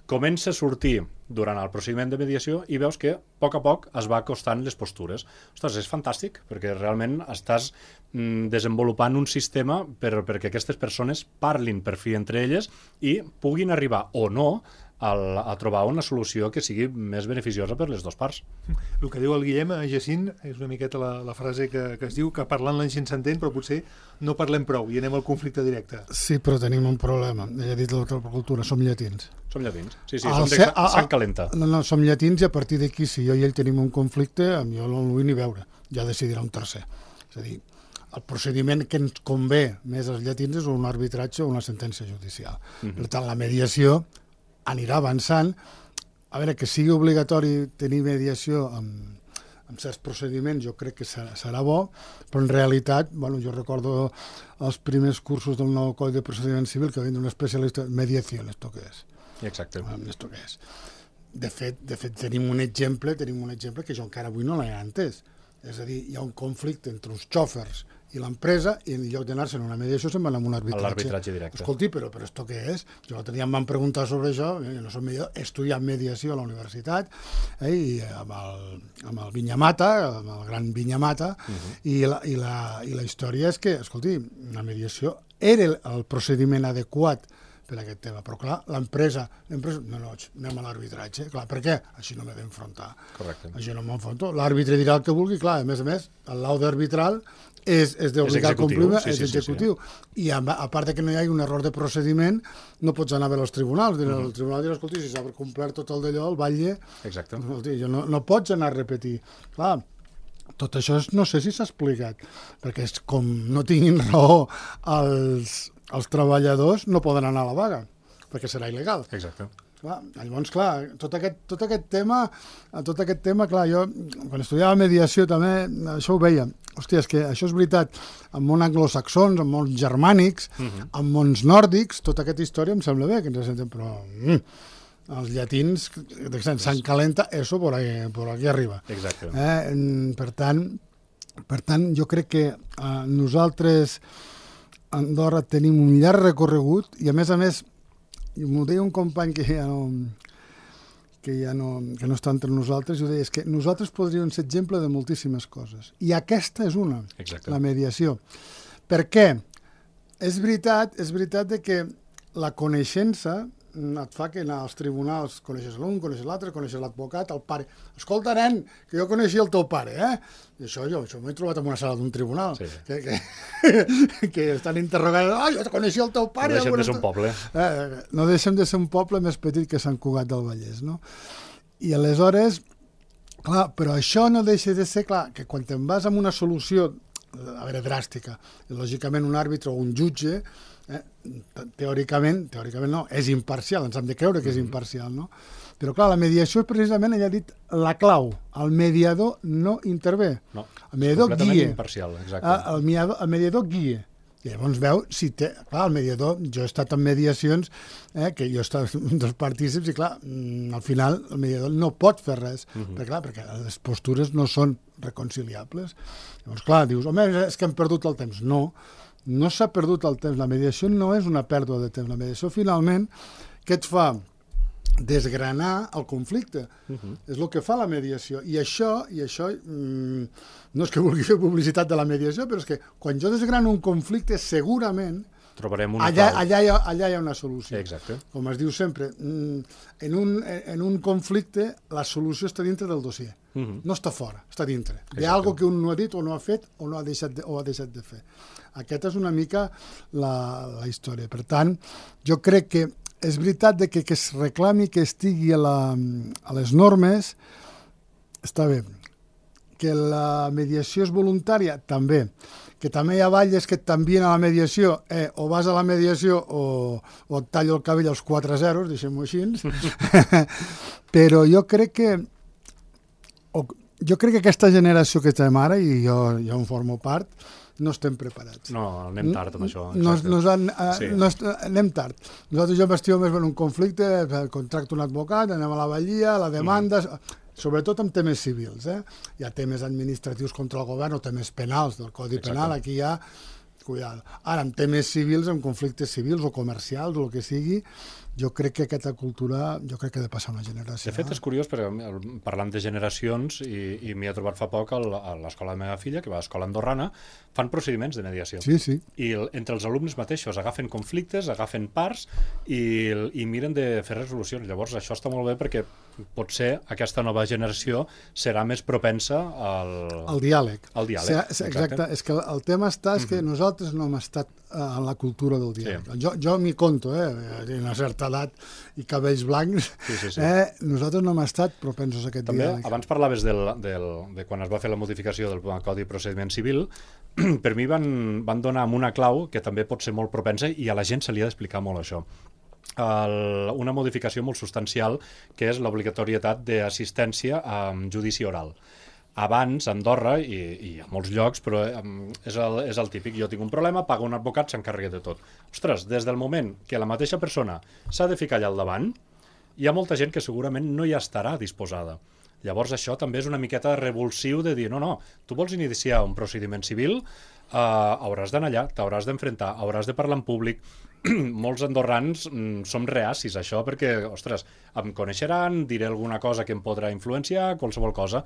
comença a sortir durant el procediment de mediació i veus que a poc a poc es va acostant les postures. Ostres, és fantàstic, perquè realment estàs mm, desenvolupant un sistema per, perquè aquestes persones parlin per fi entre elles i puguin arribar o no al, a trobar una solució que sigui més beneficiosa per les dues parts. El que diu el Guillem, a Jacint, és una miqueta la, la frase que, que es diu que parlant la gent s'entén, però potser no parlem prou i anem al conflicte directe. Sí, però tenim un problema. Ell ha dit la cultura, som llatins. Som llatins, sí, sí, Al som de ser, sang, sang calenta. No, no, som llatins i a partir d'aquí, si jo i ell tenim un conflicte, jo no el vull ni veure, ja decidirà un tercer. És a dir, el procediment que ens convé més als llatins és un arbitratge o una sentència judicial. Uh-huh. Per tant, la mediació anirà avançant. A veure, que sigui obligatori tenir mediació amb, amb certs procediments, jo crec que serà, serà bo, però en realitat, bueno, jo recordo els primers cursos del nou Codi de Procediment Civil que havien un especialista, mediació, esto què és? Exacte. Esto què és? De fet, de fet, tenim un exemple, tenim un exemple que jo encara avui no l'he entès. És a dir, hi ha un conflicte entre uns xòfers i l'empresa i en lloc d'anar-se en una mediació se'n van amb un arbitratge. L'arbitratge directe. Escolti, però, però esto què és? Jo l'altre dia em van preguntar sobre això, jo no soc mediador, he estudiat mediació a la universitat, eh, i amb el, amb el Vinyamata, amb el gran Vinyamata, uh-huh. i, la, i, la, i la història és que, escolti, la mediació era el, el procediment adequat per a aquest tema, però clar, l'empresa, l'empresa, no, no, anem a l'arbitratge, clar, per què? Així no m'he d'enfrontar. Correcte. Així no m'enfronto. L'àrbitre dirà el que vulgui, clar, a més a més, el laude arbitral és, és d'obligar a complir, sí, és sí, executiu. Sí, sí. I a, a part de que no hi hagi un error de procediment, no pots anar a veure els tribunals. Dirà, uh-huh. El tribunal dirà, escolti, si s'ha complert tot el d'allò, el batlle... Exacte. Escolti, no, no pots anar a repetir. Clar, tot això és, no sé si s'ha explicat, perquè és com no tinguin raó els... els treballadors no poden anar a la vaga, perquè serà il·legal. Exacte. Clar, llavors, clar, tot aquest, tot aquest tema, tot aquest tema, clar, jo, quan estudiava mediació també, això ho veia. Hòstia, és que això és veritat, en món anglosaxons, en mons germànics, uh-huh. en mons nòrdics, tota aquesta història em sembla bé, que ens sentem, però mm, els llatins, Sant calenta, eso por aquí, por aquí arriba. Exacte. Eh? Per tant, per tant, jo crec que eh, nosaltres a Andorra tenim un llarg recorregut i a més a més, m'ho deia un company que ja no, que ja no, que no està entre nosaltres, i ho deia, és que nosaltres podríem ser exemple de moltíssimes coses. I aquesta és una, Exacte. La mediació. Per què? És veritat, és veritat de que la coneixença, et fa que anar als tribunals coneixes l'un, coneixes l'altre, coneixes l'advocat, el pare. Escolta, nen, que jo coneixia el teu pare, eh? I això jo, això m'he trobat en una sala d'un tribunal, sí. que, que, que estan interrogant, ah, jo coneixia el teu pare. No deixem de ser un poble. Eh, no deixem de ser un poble més petit que Sant Cugat del Vallès, no? I aleshores, clar, però això no deixa de ser, clar, que quan te'n vas amb una solució, a veure, dràstica, lògicament un àrbitre o un jutge, eh, teòricament, teòricament no, és imparcial, ens hem de creure que és imparcial, no? Però clar, la mediació és precisament, ella ha dit, la clau. El mediador no intervé. No, el mediador és completament guia. imparcial, exacte. El mediador, el mediador guia. I llavors veu si té... Clar, el mediador, jo he estat en mediacions, eh, que jo he estat un dels partícips, i clar, al final el mediador no pot fer res, uh -huh. perquè, clar, perquè les postures no són reconciliables. Llavors, clar, dius, home, és que hem perdut el temps. No, no s'ha perdut el temps. La mediació no és una pèrdua de temps. La mediació, finalment, què et fa? Desgranar el conflicte. Uh-huh. És el que fa la mediació. I això, i això mmm, no és que vulgui fer publicitat de la mediació, però és que quan jo desgrano un conflicte, segurament trobarem una allà, clau. allà, hi ha, allà hi ha una solució. Exacte. Com es diu sempre, en un, en un conflicte la solució està dintre del dossier. Uh-huh. No està fora, està dintre. Hi ha alguna que un no ha dit o no ha fet o no ha deixat de, o ha deixat de fer. Aquesta és una mica la, la història. Per tant, jo crec que és veritat que, que es reclami que estigui a, la, a les normes, està bé. Que la mediació és voluntària, també. Que també hi ha balles que et t'envien a la mediació, eh, o vas a la mediació o, o et tallo el cabell als quatre zeros, deixem-ho així. Però jo crec que o, jo crec que aquesta generació que estem ara, i jo, jo en formo part, no estem preparats. No, anem tard amb això. Nos, nos han, uh, sí. nos, anem tard. Nosaltres jo m'estiu més en un conflicte, contracto un advocat, anem a la ballia, la demanda, mm. sobretot amb temes civils. Eh? Hi ha temes administratius contra el govern o temes penals del Codi Exacte. Penal, aquí hi ha... Cuidado. Ara, en temes civils, en conflictes civils o comercials o el que sigui, jo crec que aquesta cultura, jo crec que ha de passar una generació. De fet, és curiós, perquè parlant de generacions, i, i m'hi he trobat fa poc a l'escola de la meva filla, que va a l'escola andorrana, fan procediments de mediació. Sí, sí. I el, entre els alumnes mateixos agafen conflictes, agafen parts i, i miren de fer resolucions. Llavors, això està molt bé perquè potser aquesta nova generació serà més propensa al... Al diàleg. Al diàleg, sí, exacte. exacte. És que el tema està, és que mm-hmm. nosaltres no hem estat en la cultura del diàleg. Sí. Jo, jo m'hi conto, eh? Tinc una certa edat i cabells blancs. Sí, sí, sí. Eh? Nosaltres no hem estat propensos a aquest També, diàleg. Abans parlaves del, del, de quan es va fer la modificació del Codi de Procediment Civil, per mi van, van donar amb una clau que també pot ser molt propensa i a la gent se li ha d'explicar molt això. El, una modificació molt substancial que és l'obligatorietat d'assistència a judici oral. Abans, a Andorra, i, i a molts llocs, però és el, és el típic, jo tinc un problema, pago un advocat, s'encarrega de tot. Ostres, des del moment que la mateixa persona s'ha de ficar allà al davant, hi ha molta gent que segurament no hi estarà disposada. Llavors això també és una miqueta revulsiu de dir, no, no, tu vols iniciar un procediment civil, uh, hauràs d'anar allà, t'hauràs d'enfrontar, hauràs de parlar en públic. Molts andorrans mm, som reacis a això perquè, ostres, em coneixeran, diré alguna cosa que em podrà influenciar, qualsevol cosa.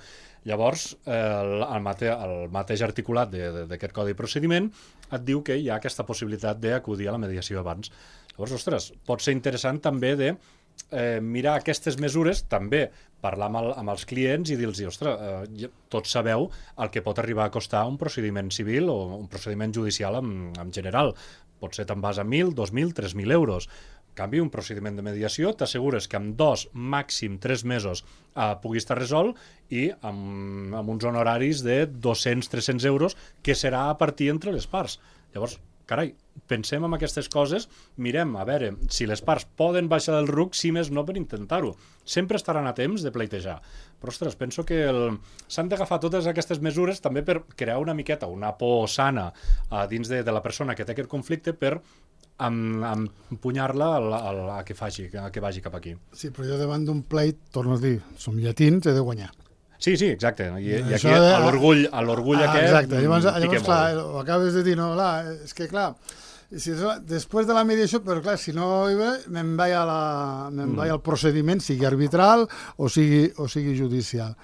Llavors, el, el, mate, el mateix articulat d'aquest codi de procediment et diu que hi ha aquesta possibilitat d'acudir a la mediació abans. Llavors, ostres, pot ser interessant també de eh, mirar aquestes mesures, també parlar amb, el, amb els clients i dir-los, ostres, eh, tots sabeu el que pot arribar a costar un procediment civil o un procediment judicial en, en general. Potser te'n vas a mil, dos mil, tres mil euros. En canvi, un procediment de mediació t'assegures que en dos, màxim tres mesos eh, pugui estar resolt i amb, amb uns honoraris de dos-cents a tres-cents euros que serà a partir entre les parts. Llavors, carai, pensem en aquestes coses, mirem a veure si les parts poden baixar del ruc, si més no per intentar-ho. Sempre estaran a temps de pleitejar. Però, ostres, penso que el... s'han d'agafar totes aquestes mesures també per crear una miqueta, una por sana a dins de, de la persona que té aquest conflicte per empunyar-la a, a, a, que faci, a que vagi cap aquí. Sí, però jo davant d'un pleit, torno a dir, som llatins, he de guanyar. Sí, sí, exacte. I, i aquí de... l'orgull a l'orgull ah, aquest... Exacte, llavors, llavors clar, ho acabes de dir, no, clar, és que clar, si, després de la mediació, però clar, si no hi ve, me'n vaig, a la, me'n vaig al procediment, sigui arbitral o sigui, o sigui judicial.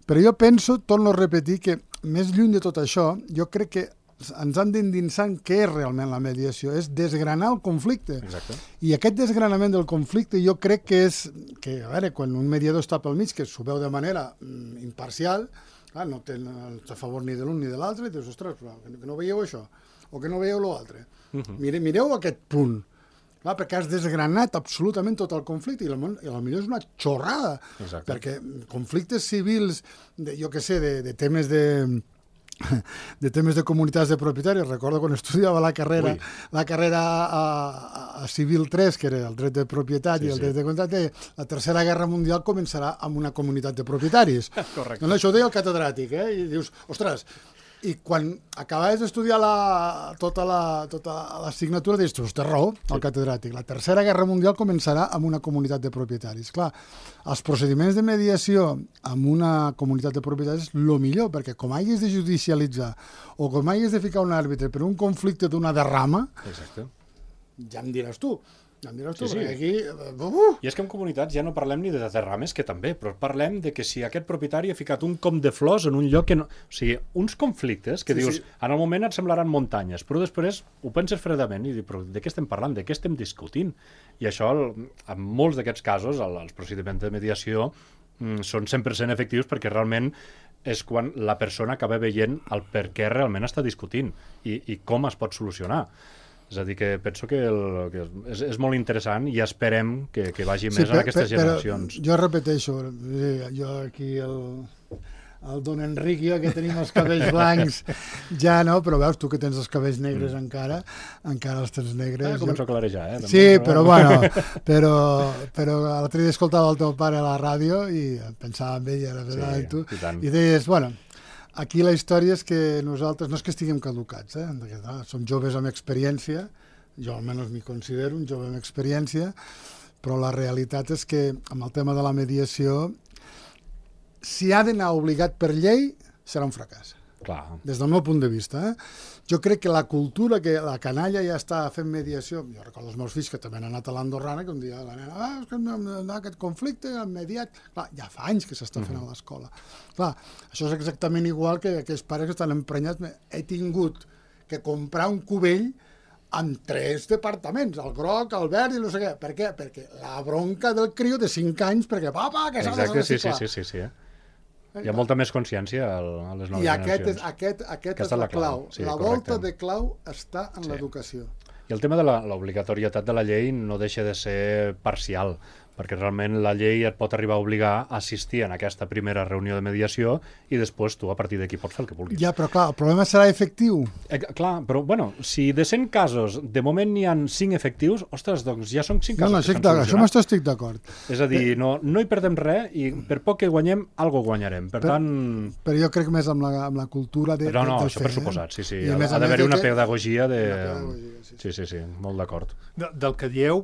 Però jo penso, torno a repetir, que més lluny de tot això, jo crec que ens han d'endinsar en què és realment la mediació, és desgranar el conflicte. Exacte. I aquest desgranament del conflicte jo crec que és, que a veure, quan un mediador està pel mig, que s'ho veu de manera mm, imparcial, clar, no té a favor ni de l'un ni de l'altre, i dius, ostres, però que no veieu això, o que no veieu l'altre. Uh -huh. Mire, mireu aquest punt, clar, perquè has desgranat absolutament tot el conflicte, i potser és una xorrada. Exacte. Perquè conflictes civils, de, jo què sé, de, de temes de... de temes de comunitats de propietaris. Recordo quan estudiava la carrera Ui. la carrera a, a Civil tres, que era el dret de propietat sí, i el sí. dret de contracte, la Tercera Guerra Mundial començarà amb una comunitat de propietaris. Correcte. Doncs això ho deia el catedràtic, eh? I dius, ostres, i quan acabaves d'estudiar la, tota la tota l'assignatura, dius, tu té raó, el catedràtic. La Tercera Guerra Mundial començarà amb una comunitat de propietaris. Clar, els procediments de mediació amb una comunitat de propietaris és el millor, perquè com hagis de judicialitzar o com hagis de ficar un àrbitre per un conflicte d'una derrama, exacte. Ja em diràs tu. Ja em diràs tu, sí, sí. aquí... Uh! I és que en comunitats ja no parlem ni de derrames, que també, però parlem de que si aquest propietari ha ficat un com de flors en un lloc que no... O sigui, uns conflictes que sí, dius, sí. en el moment et semblaran muntanyes, però després ho penses fredament i dius, però de què estem parlant, de què estem discutint? I això, en molts d'aquests casos, els procediments de mediació mm, són cent per cent efectius perquè realment és quan la persona acaba veient el per què realment està discutint i, i com es pot solucionar. És a dir, que penso que, el, que és, és molt interessant i esperem que, que vagi sí, més per, en aquestes per, generacions. Jo repeteixo, jo aquí el, el don Enric i jo que tenim els cabells blancs ja no, però veus, tu que tens els cabells negres mm. encara, encara els tens negres. Ah, començo jo... a clarejar, eh? També, sí, però, però bueno, però, però l'altre dia escoltava el teu pare a la ràdio i pensava en ell, era verdad, sí, tu, i, i deies, bueno, aquí la història és que nosaltres, no és que estiguem caducats, eh? Som joves amb experiència, jo almenys m'hi considero un jove amb experiència, però la realitat és que amb el tema de la mediació, si ha d'anar obligat per llei, serà un fracàs. Clar. Des del meu punt de vista. Eh? Jo crec que la cultura, que la canalla ja està fent mediació, jo recordo els meus fills que també han anat a l'Andorrana, que un dia la nena, ah, és que no, aquest conflicte, han mediat... Clar, ja fa anys que s'està fent a l'escola. Clar, això és exactament igual que aquells pares que estan emprenyats. He tingut que comprar un cubell amb tres departaments, el groc, el verd i no sé què. Per què? Perquè la bronca del criu de cinc anys, perquè, papa, que s'ha de reciclar. Exacte, sí, sí, sí, sí, eh? Hi ha molta més consciència a les noves I aquest generacions. És, aquest, aquest és la clau. Sí, la volta correcte. de clau està en sí. l'educació. I el tema de l'obligatorietat de la llei no deixa de ser parcial, perquè realment la llei et pot arribar a obligar a assistir en aquesta primera reunió de mediació i després tu a partir d'aquí pots fer el que vulguis. Ja, però clar, el problema serà efectiu. Eh, clar, però bueno, si de cent casos de moment n'hi ha cinc efectius, ostres, doncs ja són cinc casos no, no, que s'han solucionat. Això m'estic estic d'acord. És a dir, no, no hi perdem res i per poc que guanyem, algo guanyarem. Per però, tant... Però jo crec més amb la, amb la cultura de, però no, del això fer. Per suposat, sí, sí. I Ha, ha d'haver-hi una pedagogia de... Una pedagogia, sí, sí. Sí, sí, sí, molt d'acord. De, del que dieu,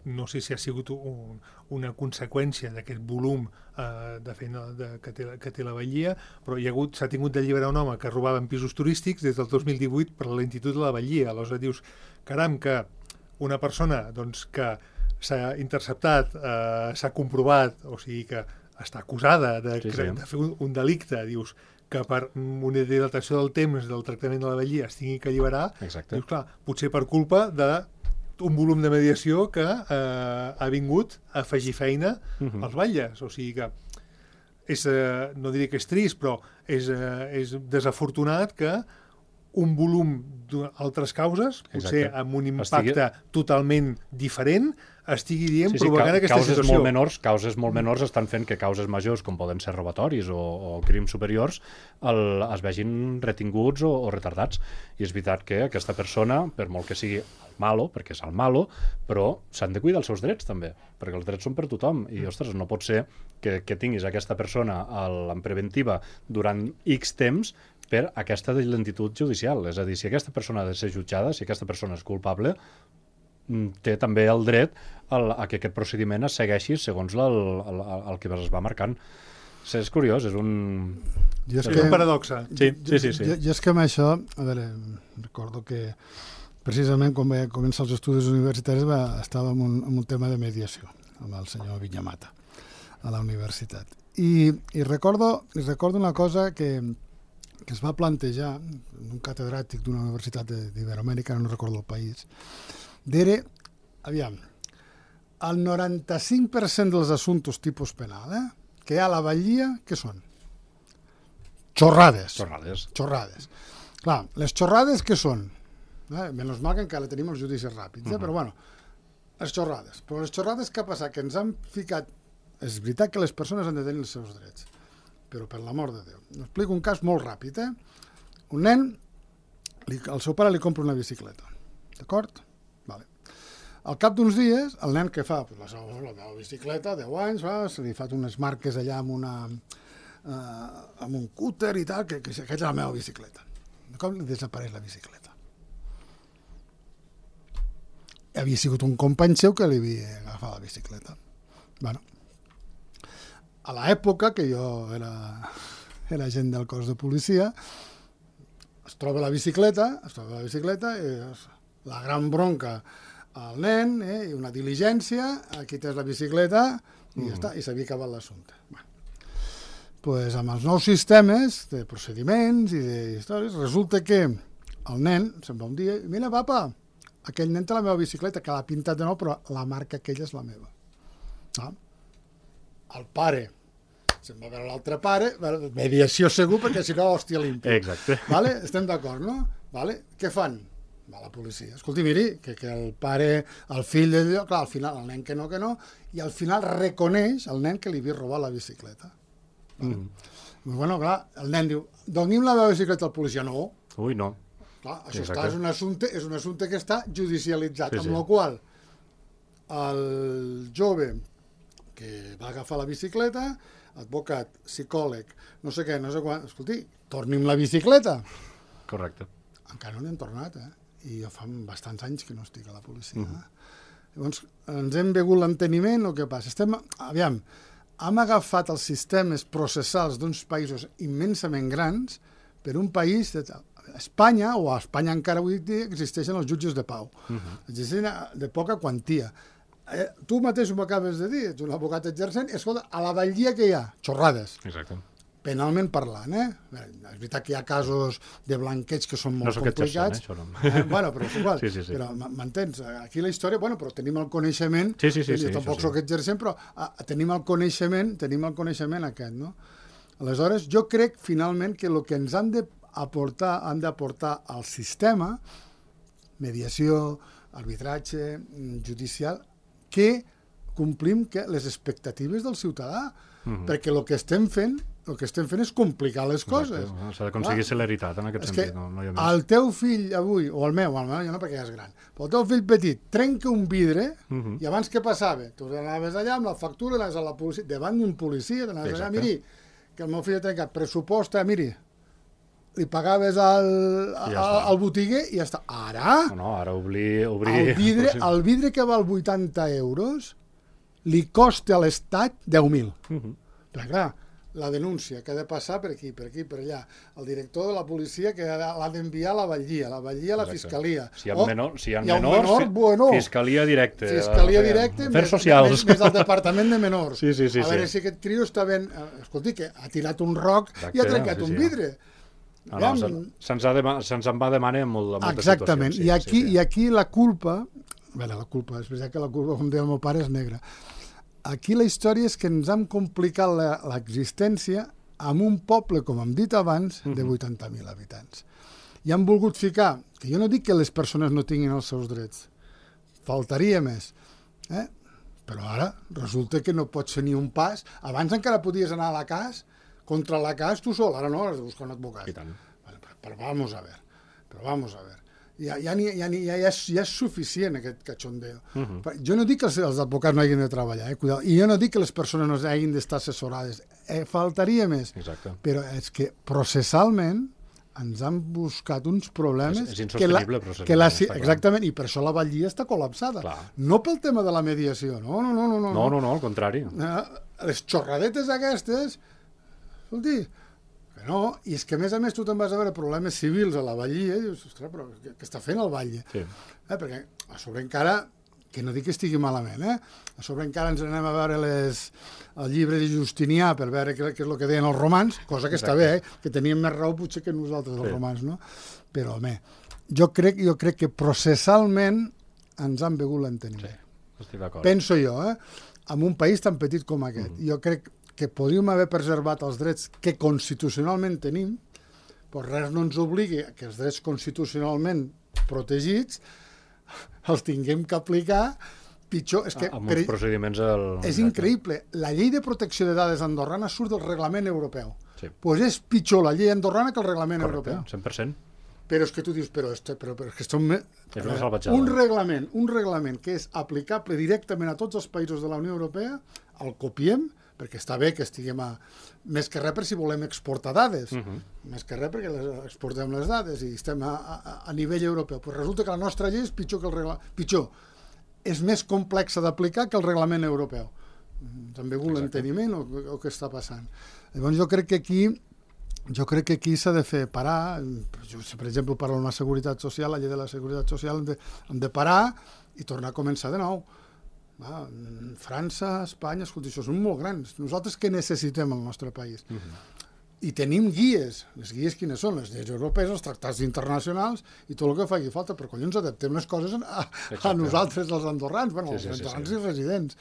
no sé si ha sigut un, una conseqüència d'aquest volum eh, de feina de, que, té, que té la Batllia, però hi ha hagut, s'ha tingut d'alliberar un home que robava en pisos turístics des del dos mil divuit per la lentitud de la Batllia. Aleshores dius, caram, que una persona doncs, que s'ha interceptat, eh, s'ha comprovat, o sigui que està acusada de, sí, sí. de fer un, un delicte, dius, que per una dilatació del temps del tractament de la Batllia es tingui que alliberar, exacte. Dius, clar, potser per culpa de un volum de mediació que eh, ha vingut a afegir feina uh-huh. als batlles. O sigui que és, eh, no diré que és trist, però és, eh, és desafortunat que un volum d'altres causes, potser Exacte. amb un impacte Estigui... totalment diferent, estigui dient, sí, sí, provocant aquesta causes situació. Molt menors, causes molt menors estan fent que causes majors, com poden ser robatoris o, o crims superiors, el, es vegin retinguts o, o retardats. I és veritat que aquesta persona, per molt que sigui el malo, perquè és el malo, però s'han de cuidar els seus drets també, perquè els drets són per tothom. I, ostres, no pot ser que, que tinguis aquesta persona el, en preventiva durant X temps per aquesta lentitud judicial. És a dir, si aquesta persona ha de ser jutjada, si aquesta persona és culpable, té també el dret al, a que aquest procediment es segueixi segons el, el, el que es va marcant. És curiós, és un... Jo és, és que, un paradoxa. Sí, sí, sí. sí. Jo, jo és que amb això, a veure, recordo que precisament quan vaig començar els estudis universitaris va, estàvem en un, en un tema de mediació amb el senyor Vinyamata a la universitat. I, i recordo, recordo una cosa que que es va plantejar un catedràtic d'una universitat d'Iberoamèrica, no recordo el país, d'era, aviam, el noranta-cinc per cent dels assumptes tipus penal eh, que hi ha a la Batllia, què són? Xorrades. Xorrades. Xorrades. Clar, les xorrades què són? Eh? Menys mal que encara tenim els judicis ràpids, eh? uh -huh. però bueno, les xorrades. Però les xorrades què ha passat? Que ens han ficat... És veritat que les persones han de tenir els seus drets, però per l'amor de Déu. Us explico un cas molt ràpid, eh? Un nen, li, el seu pare li compra una bicicleta, d'acord? Vale. Al cap d'uns dies, el nen què fa? Pues la, seva, la meva bicicleta, deu anys, va, se li fa unes marques allà amb, una, uh, amb un cúter i tal, que, que aquesta és la meva bicicleta. De cop li desapareix la bicicleta. Havia sigut un company seu que li havia agafat la bicicleta. Bueno, a l'època que jo era, era agent del cos de policia, es troba la bicicleta, es troba la bicicleta i és la gran bronca al nen, eh, i una diligència, aquí tens la bicicleta i mm. ja està, i s'havia acabat l'assumpte. Bueno, pues amb els nous sistemes de procediments i d'històries, resulta que el nen se'n va un dia i mira, papa, aquell nen té la meva bicicleta, que l'ha pintat de nou, però la marca aquella és la meva. Ah. El pare se'n va veure l'altre pare, mediació segur, perquè si no, hòstia limpia. Exacte. Vale? Estem d'acord, no? Vale? Què fan? Va la policia. Escolti, miri, que, que el pare, el fill de Déu, clar, al final el nen que no, que no, i al final reconeix el nen que li havia robat la bicicleta. Vale? Mm. Bueno, clar, el nen diu, doni'm la meva bicicleta al policia. No. Ui, no. Clar, això està, és, un assumpte, és un assumpte que està judicialitzat, sí, amb sí. la qual el jove que va agafar la bicicleta, advocat, psicòleg, no sé què, no sé quan, escolti, torni'm la bicicleta. Correcte. Encara no n'hem tornat, eh? I jo fa bastants anys que no estic a la policia. Uh -huh. Llavors, ens hem begut l'enteniment, el que passa? Estem, aviam, hem agafat els sistemes processals d'uns països immensament grans per un país de Espanya, o a Espanya encara avui dia, existeixen els jutges de pau. Uh -huh. Existeixen de poca quantia. Eh, tu mateix m'ho acabes de dir, ets un advocat exercent, i escolta, a la Batllia que hi ha? Xorrades. Exacte. Penalment parlant, eh? És veritat que hi ha casos de blanqueig que són molt no complicats. Exercent, eh, això no. Eh, bueno, però és igual. Sí, sí, sí. Però m'entens? Aquí la història, bueno, però tenim el coneixement, sí, sí, sí, jo sí, tampoc sí. soc exercent, però ah, tenim el coneixement, tenim el coneixement aquest, no? Aleshores, jo crec, finalment, que el que ens han d'aportar, han d'aportar al sistema, mediació, arbitratge, judicial, que complim que les expectatives del ciutadà, uh-huh. perquè el que estem fent el que estem fent és complicar les coses. S'ha d'aconseguir celeritat en aquest és sentit. No, no hi ha més. El teu fill avui, o el meu, el meu ja no perquè ja és gran, però el teu fill petit trenca un vidre, uh-huh. i abans què passava? Tu anaves allà amb la factura, anaves a la policia, davant d'un policia, anaves allà, miri, que el meu fill ha trencat, pressuposta, miri, li pagaves al, al, ja al botiguer i ja està. Ara, no, no, ara obrir, obrir... El, vidre, el vidre que val vuitanta euros li costa a l'Estat deu mil. Uh-huh. Però clar, la denúncia que ha de passar per aquí, per aquí, per allà. El director de la policia que l'ha d'enviar a la Batllia, la Batllia a la Fiscalia. Si hi ha, menor, si hi ha, hi ha menors, menor, bueno, Fiscalia directe. Fiscalia directe, Afers més, socials. Més, més del Departament de Menors. Sí, sí, sí, a veure sí. si aquest trio està ben... Escolti, que ha tirat un roc Exacte, i ha trencat sí, un sí. vidre. No, no, se'ns se se en va demanar en molt, moltes Exactament. situacions. Sí, I, aquí, sí, sí. I aquí la culpa... Bé, la culpa, és veritat que la culpa, com deia el meu pare, és negra. Aquí la història és que ens hem complicat l'existència amb un poble, com hem dit abans, de vuitanta mil habitants. I han volgut ficar, que jo no dic que les persones no tinguin els seus drets, faltaria més, eh? Però ara resulta que no pots fer ni un pas. Abans encara podies anar a la cas, contra la cas tu sol, ara no, has de buscar un advocat. I tant. Però, però vamos a ver, però vamos a ver. Ja, ja, ja, ja, ja, ja, és, ja és suficient aquest cachondeo. Uh -huh. Jo no dic que els, els advocats no hagin de treballar, eh? Cuidado. I jo no dic que les persones no hagin d'estar assessorades, eh, faltaria més. Exacte. Però és que processalment ens han buscat uns problemes... És, és insostenible, que processalment. Que la, exactament, i per això la Batllia està col·lapsada. Clar. No pel tema de la mediació, no, no, no. No, no, no, no, no al contrari. Eh, les xorradetes aquestes, escolti, que no, i és que a més a més tu te'n vas a veure problemes civils a la Batllia i dius, ostres, però què, què està fent el Batlle? Sí. Eh, perquè a sobre encara que no dic que estigui malament, eh? A sobre encara ens anem a veure les, el llibre de Justinià per veure què, què és el que deien els romans, cosa que Exacte. Està bé, eh? Que tenien més raó potser que nosaltres, els sí. romans, no? Però, home, jo crec, jo crec que processalment ens han begut l'enteniment. Sí, estic d'acord. Penso jo, eh? En un país tan petit com aquest. Mm. Jo crec que podríem haver preservat els drets que constitucionalment tenim, però res no ens obligui que els drets constitucionalment protegits els tinguem que aplicar pitjor. És que, amb uns procediments... El... És increïble. La llei de protecció de dades andorrana surt del reglament europeu. Sí. Pues és pitjor la llei andorrana que el reglament Correcte, europeu. cent per cent. Però és que tu dius, però, este, però, però és que som... És una salvatjada. Un reglament, un reglament que és aplicable directament a tots els països de la Unió Europea, el copiem, perquè està bé que estiguem a... Més que res per si volem exportar dades. Uh -huh. Més que res perquè les exportem les dades i estem a, a, a nivell europeu. Però resulta que la nostra llei és pitjor que el reglament. Pitjor. És més complexa d'aplicar que el reglament europeu. També vol l'enteniment o, o què està passant. Llavors jo crec que aquí jo crec que aquí s'ha de fer parar, per exemple, per a una seguretat social, la llei de la seguretat social, hem de, hem de parar i tornar a començar de nou. Va, França, Espanya, escolta, això són molt grans. Nosaltres què necessitem al nostre país? Uh -huh. I tenim guies. Les guies quines són? Les lleis europees, els tractats internacionals i tot el que faci falta, però collons adaptem les coses a, a nosaltres, els andorrans, bueno, sí, els sí, andorrans sí, sí. i residents.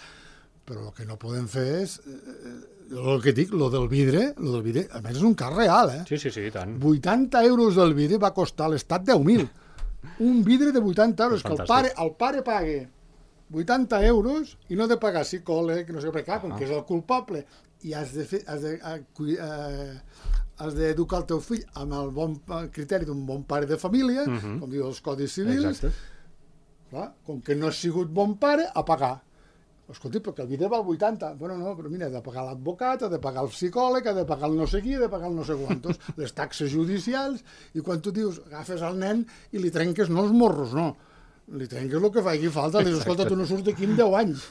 Però el que no podem fer és... Eh, el que dic, lo del vidre, lo del vidre, a més és un cas real, eh? Sí, sí, sí, tant. vuitanta euros del vidre va costar a l'Estat deu mil. Un vidre de vuitanta euros, que el pare, el pare pague vuitanta euros i no ha de pagar psicòleg, no sé què, clar, com que és el culpable, i has de fer, has de, eh, has d'educar el teu fill amb el bon criteri d'un bon pare de família, uh -huh. com diu els codis civils. Exacte. Clar, com que no has sigut bon pare, a pagar. Escolti, perquè el vidre val vuitanta. Bueno, no, però mira, ha de pagar l'advocat, ha de pagar el psicòleg, ha de pagar el no sé qui, ha de pagar el no sé quantos, les taxes judicials, i quan tu dius, agafes el nen i li trenques no els morros, no, li trenques el que faci falta, li dius, escolta, tu no surts d'aquí en deu anys.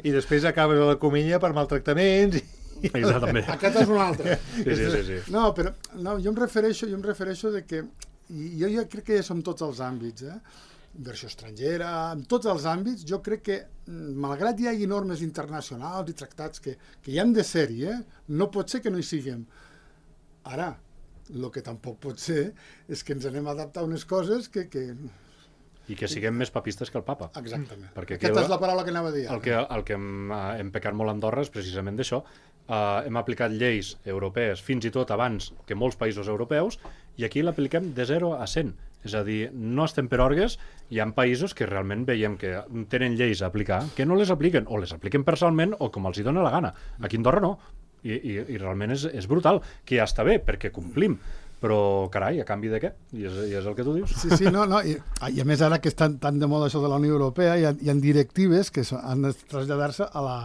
I després acabes a la comenya per maltractaments i... Exactament. Aquest és un altre. Sí, sí, sí, sí. No, però no, jo em refereixo, jo em refereixo de que, i jo ja crec que ja som tots els àmbits, eh? Inversió estrangera, en tots els àmbits, jo crec que, malgrat hi hagi normes internacionals i tractats que, que hi han de ser-hi, eh? No pot ser que no hi siguem. Ara, el que tampoc pot ser és que ens anem a adaptar a unes coses que... que... I que siguem més papistes que el papa. Exactament. Perquè aquesta és la paraula que anava a dir. El que, el que hem, hem pecat molt a Andorra és precisament d'això. Uh, hem aplicat lleis europees fins i tot abans que molts països europeus i aquí l'apliquem de zero a cent. És a dir, no estem per orgues, hi ha països que realment veiem que tenen lleis a aplicar, que no les apliquen, o les apliquen parcialment o com els hi dona la gana. Aquí a Andorra no. I, i, i realment és, és brutal, que ja està bé, perquè complim. Però, carai, a canvi de què? I és, i és el que tu dius. Sí, sí, no, no. I, i a més, ara que estan tan de moda això de la Unió Europea, hi ha, hi ha directives que han de traslladar-se a la...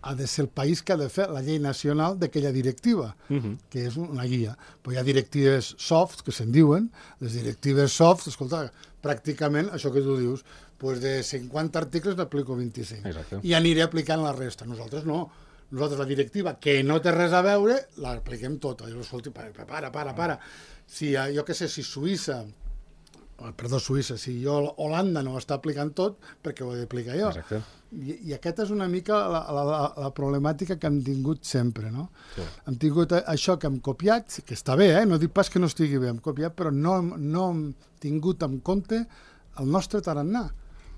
ha de ser el país que ha de fer la llei nacional d'aquella directiva, uh -huh. que és una guia. Però hi ha directives soft, que se'n diuen, les directives soft, escolta, pràcticament, això que tu dius, pues de cinquanta articles n'aplico vint-i-cinc. Exacte. I aniré aplicant la resta. Nosaltres no. Nosaltres la directiva, que no té res a veure, l'apliquem tota. Jo, escolta, para, para, para. Si, jo què sé, si Suïssa, perdó, Suïssa, si jo Holanda no ho està aplicant tot, perquè ho he d'aplicar jo. Exacte. I, i aquesta és una mica la, la, la, la problemàtica que hem tingut sempre, no? Sí. Hem tingut això que hem copiat, que està bé, eh? No dic pas que no estigui bé, hem copiat, però no, no hem tingut en compte el nostre tarannà.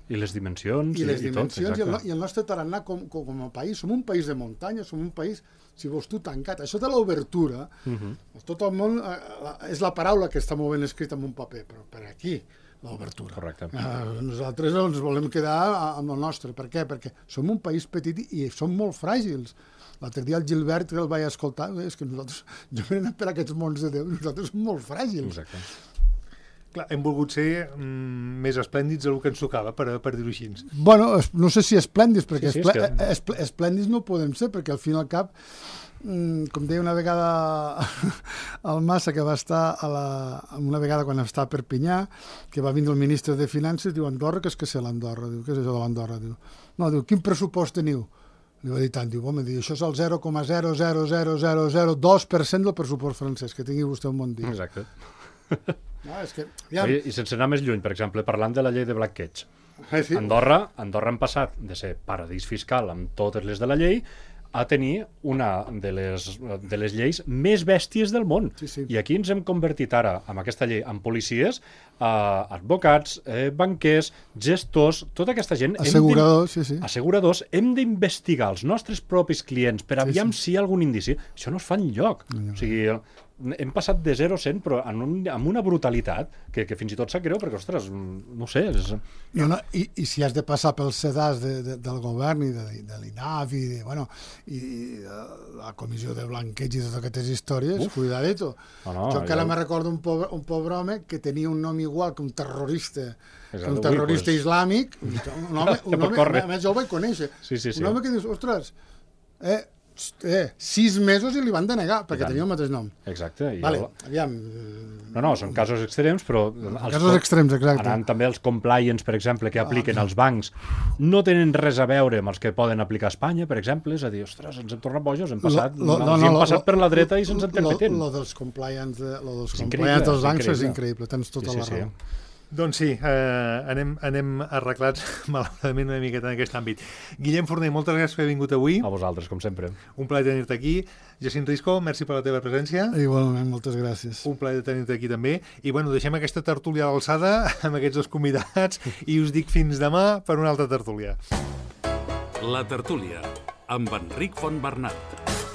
I les dimensions i, les i, dimensions i tot, i, el, i el nostre tarannà com, com, com a país. Som un país de muntanya, som un país, si vols tu, tancat. Això de l'obertura, uh -huh. tot el món, eh, és la paraula que està molt ben escrita en un paper, però per aquí, l'obertura. Correcte. Uh, nosaltres ens volem quedar amb el nostre. Per què? Perquè som un país petit i som molt fràgils. L'altre dia el Gilbert, que el vaig escoltar, és que nosaltres, jo m'he anat per aquests mons de Déu, nosaltres som molt fràgils. Exacte. Clar, hem volgut ser mm, més esplèndids del que ens tocava, per, per dir-ho així. Bueno, no sé si esplèndids, perquè sí, sí, esplè que... esplè esplèndids no podem ser, perquè al fin i al cap, mm, com deia una vegada el Massa, que va estar a la, una vegada quan estava a Perpinyà, que va vindre el ministre de Finances, diu, Andorra, què és que sé l'Andorra? Diu, què és això de l'Andorra? Diu, no, diu, quin pressupost teniu? Li va dir tant, diu, home, diu, això és el zero coma zero zero zero zero zero dos per cent del pressupost francès, que tingui vostè un bon dia. Exacte. No, és que, ja... Oye, i sense anar més lluny, per exemple, parlant de la llei de Blackcatch, Sí. Andorra, Andorra han passat de ser paradís fiscal amb totes les de la llei a tenir una de les, de les lleis més bèsties del món. Sí, sí. I aquí ens hem convertit ara, amb aquesta llei, en policies, eh, advocats, eh, banquers, gestors, tota aquesta gent... Asseguradors, sí, sí. Asseguradors, hem d'investigar els nostres propis clients per aviam sí, sí. si hi ha algun indici. Això no es fa enlloc. No, no. O sigui, hem passat de zero a cent, però en un, amb una brutalitat que, que fins i tot sap greu, perquè, ostres, no sé... És... No, no, i, I si has de passar pels sedars de, de, del govern i de, de l'I N A F i, de, bueno, i de la comissió de blanqueig i totes aquestes històries, Uf. cuidadito. No, no, jo encara ja... me recordo un pobre, un pobre home que tenia un nom igual que un terrorista, que un terrorista pues... islàmic, un home, un home, a més jo el vaig conèixer, sí, sí, sí. un home que dius, ostres, eh, Eh, sis mesos i li van denegar perquè tenia el mateix nom. Exacte. I vale, el... aviam. No, no, són casos extrems, però... Els casos extrems, exacte. Anant també els compliance, per exemple, que apliquen ah, els bancs, no tenen res a veure amb els que poden aplicar a Espanya, per exemple, és a dir, ostres, ens hem tornat bojos, hem passat, lo, lo, no, no, hem passat lo, per la dreta i se'ns interpretent. Lo, lo dels compliance, de, lo dels compliance dels bancs és increïble, tens tota sí, sí, la raó. Sí. Doncs sí, eh, anem, anem arreglats malauradament una miqueta en aquest àmbit. Guillem Forner, moltes gràcies per haver vingut avui. A vosaltres, com sempre. Un plaer tenir-te aquí. Jacint Risco, merci per la teva presència. Igualment, moltes gràcies. Un plaer tenir-te aquí també. I bueno, deixem aquesta tertúlia a l'alçada amb aquests dos convidats i us dic fins demà per una altra tertúlia. La tertúlia, amb Enric Fontbernat.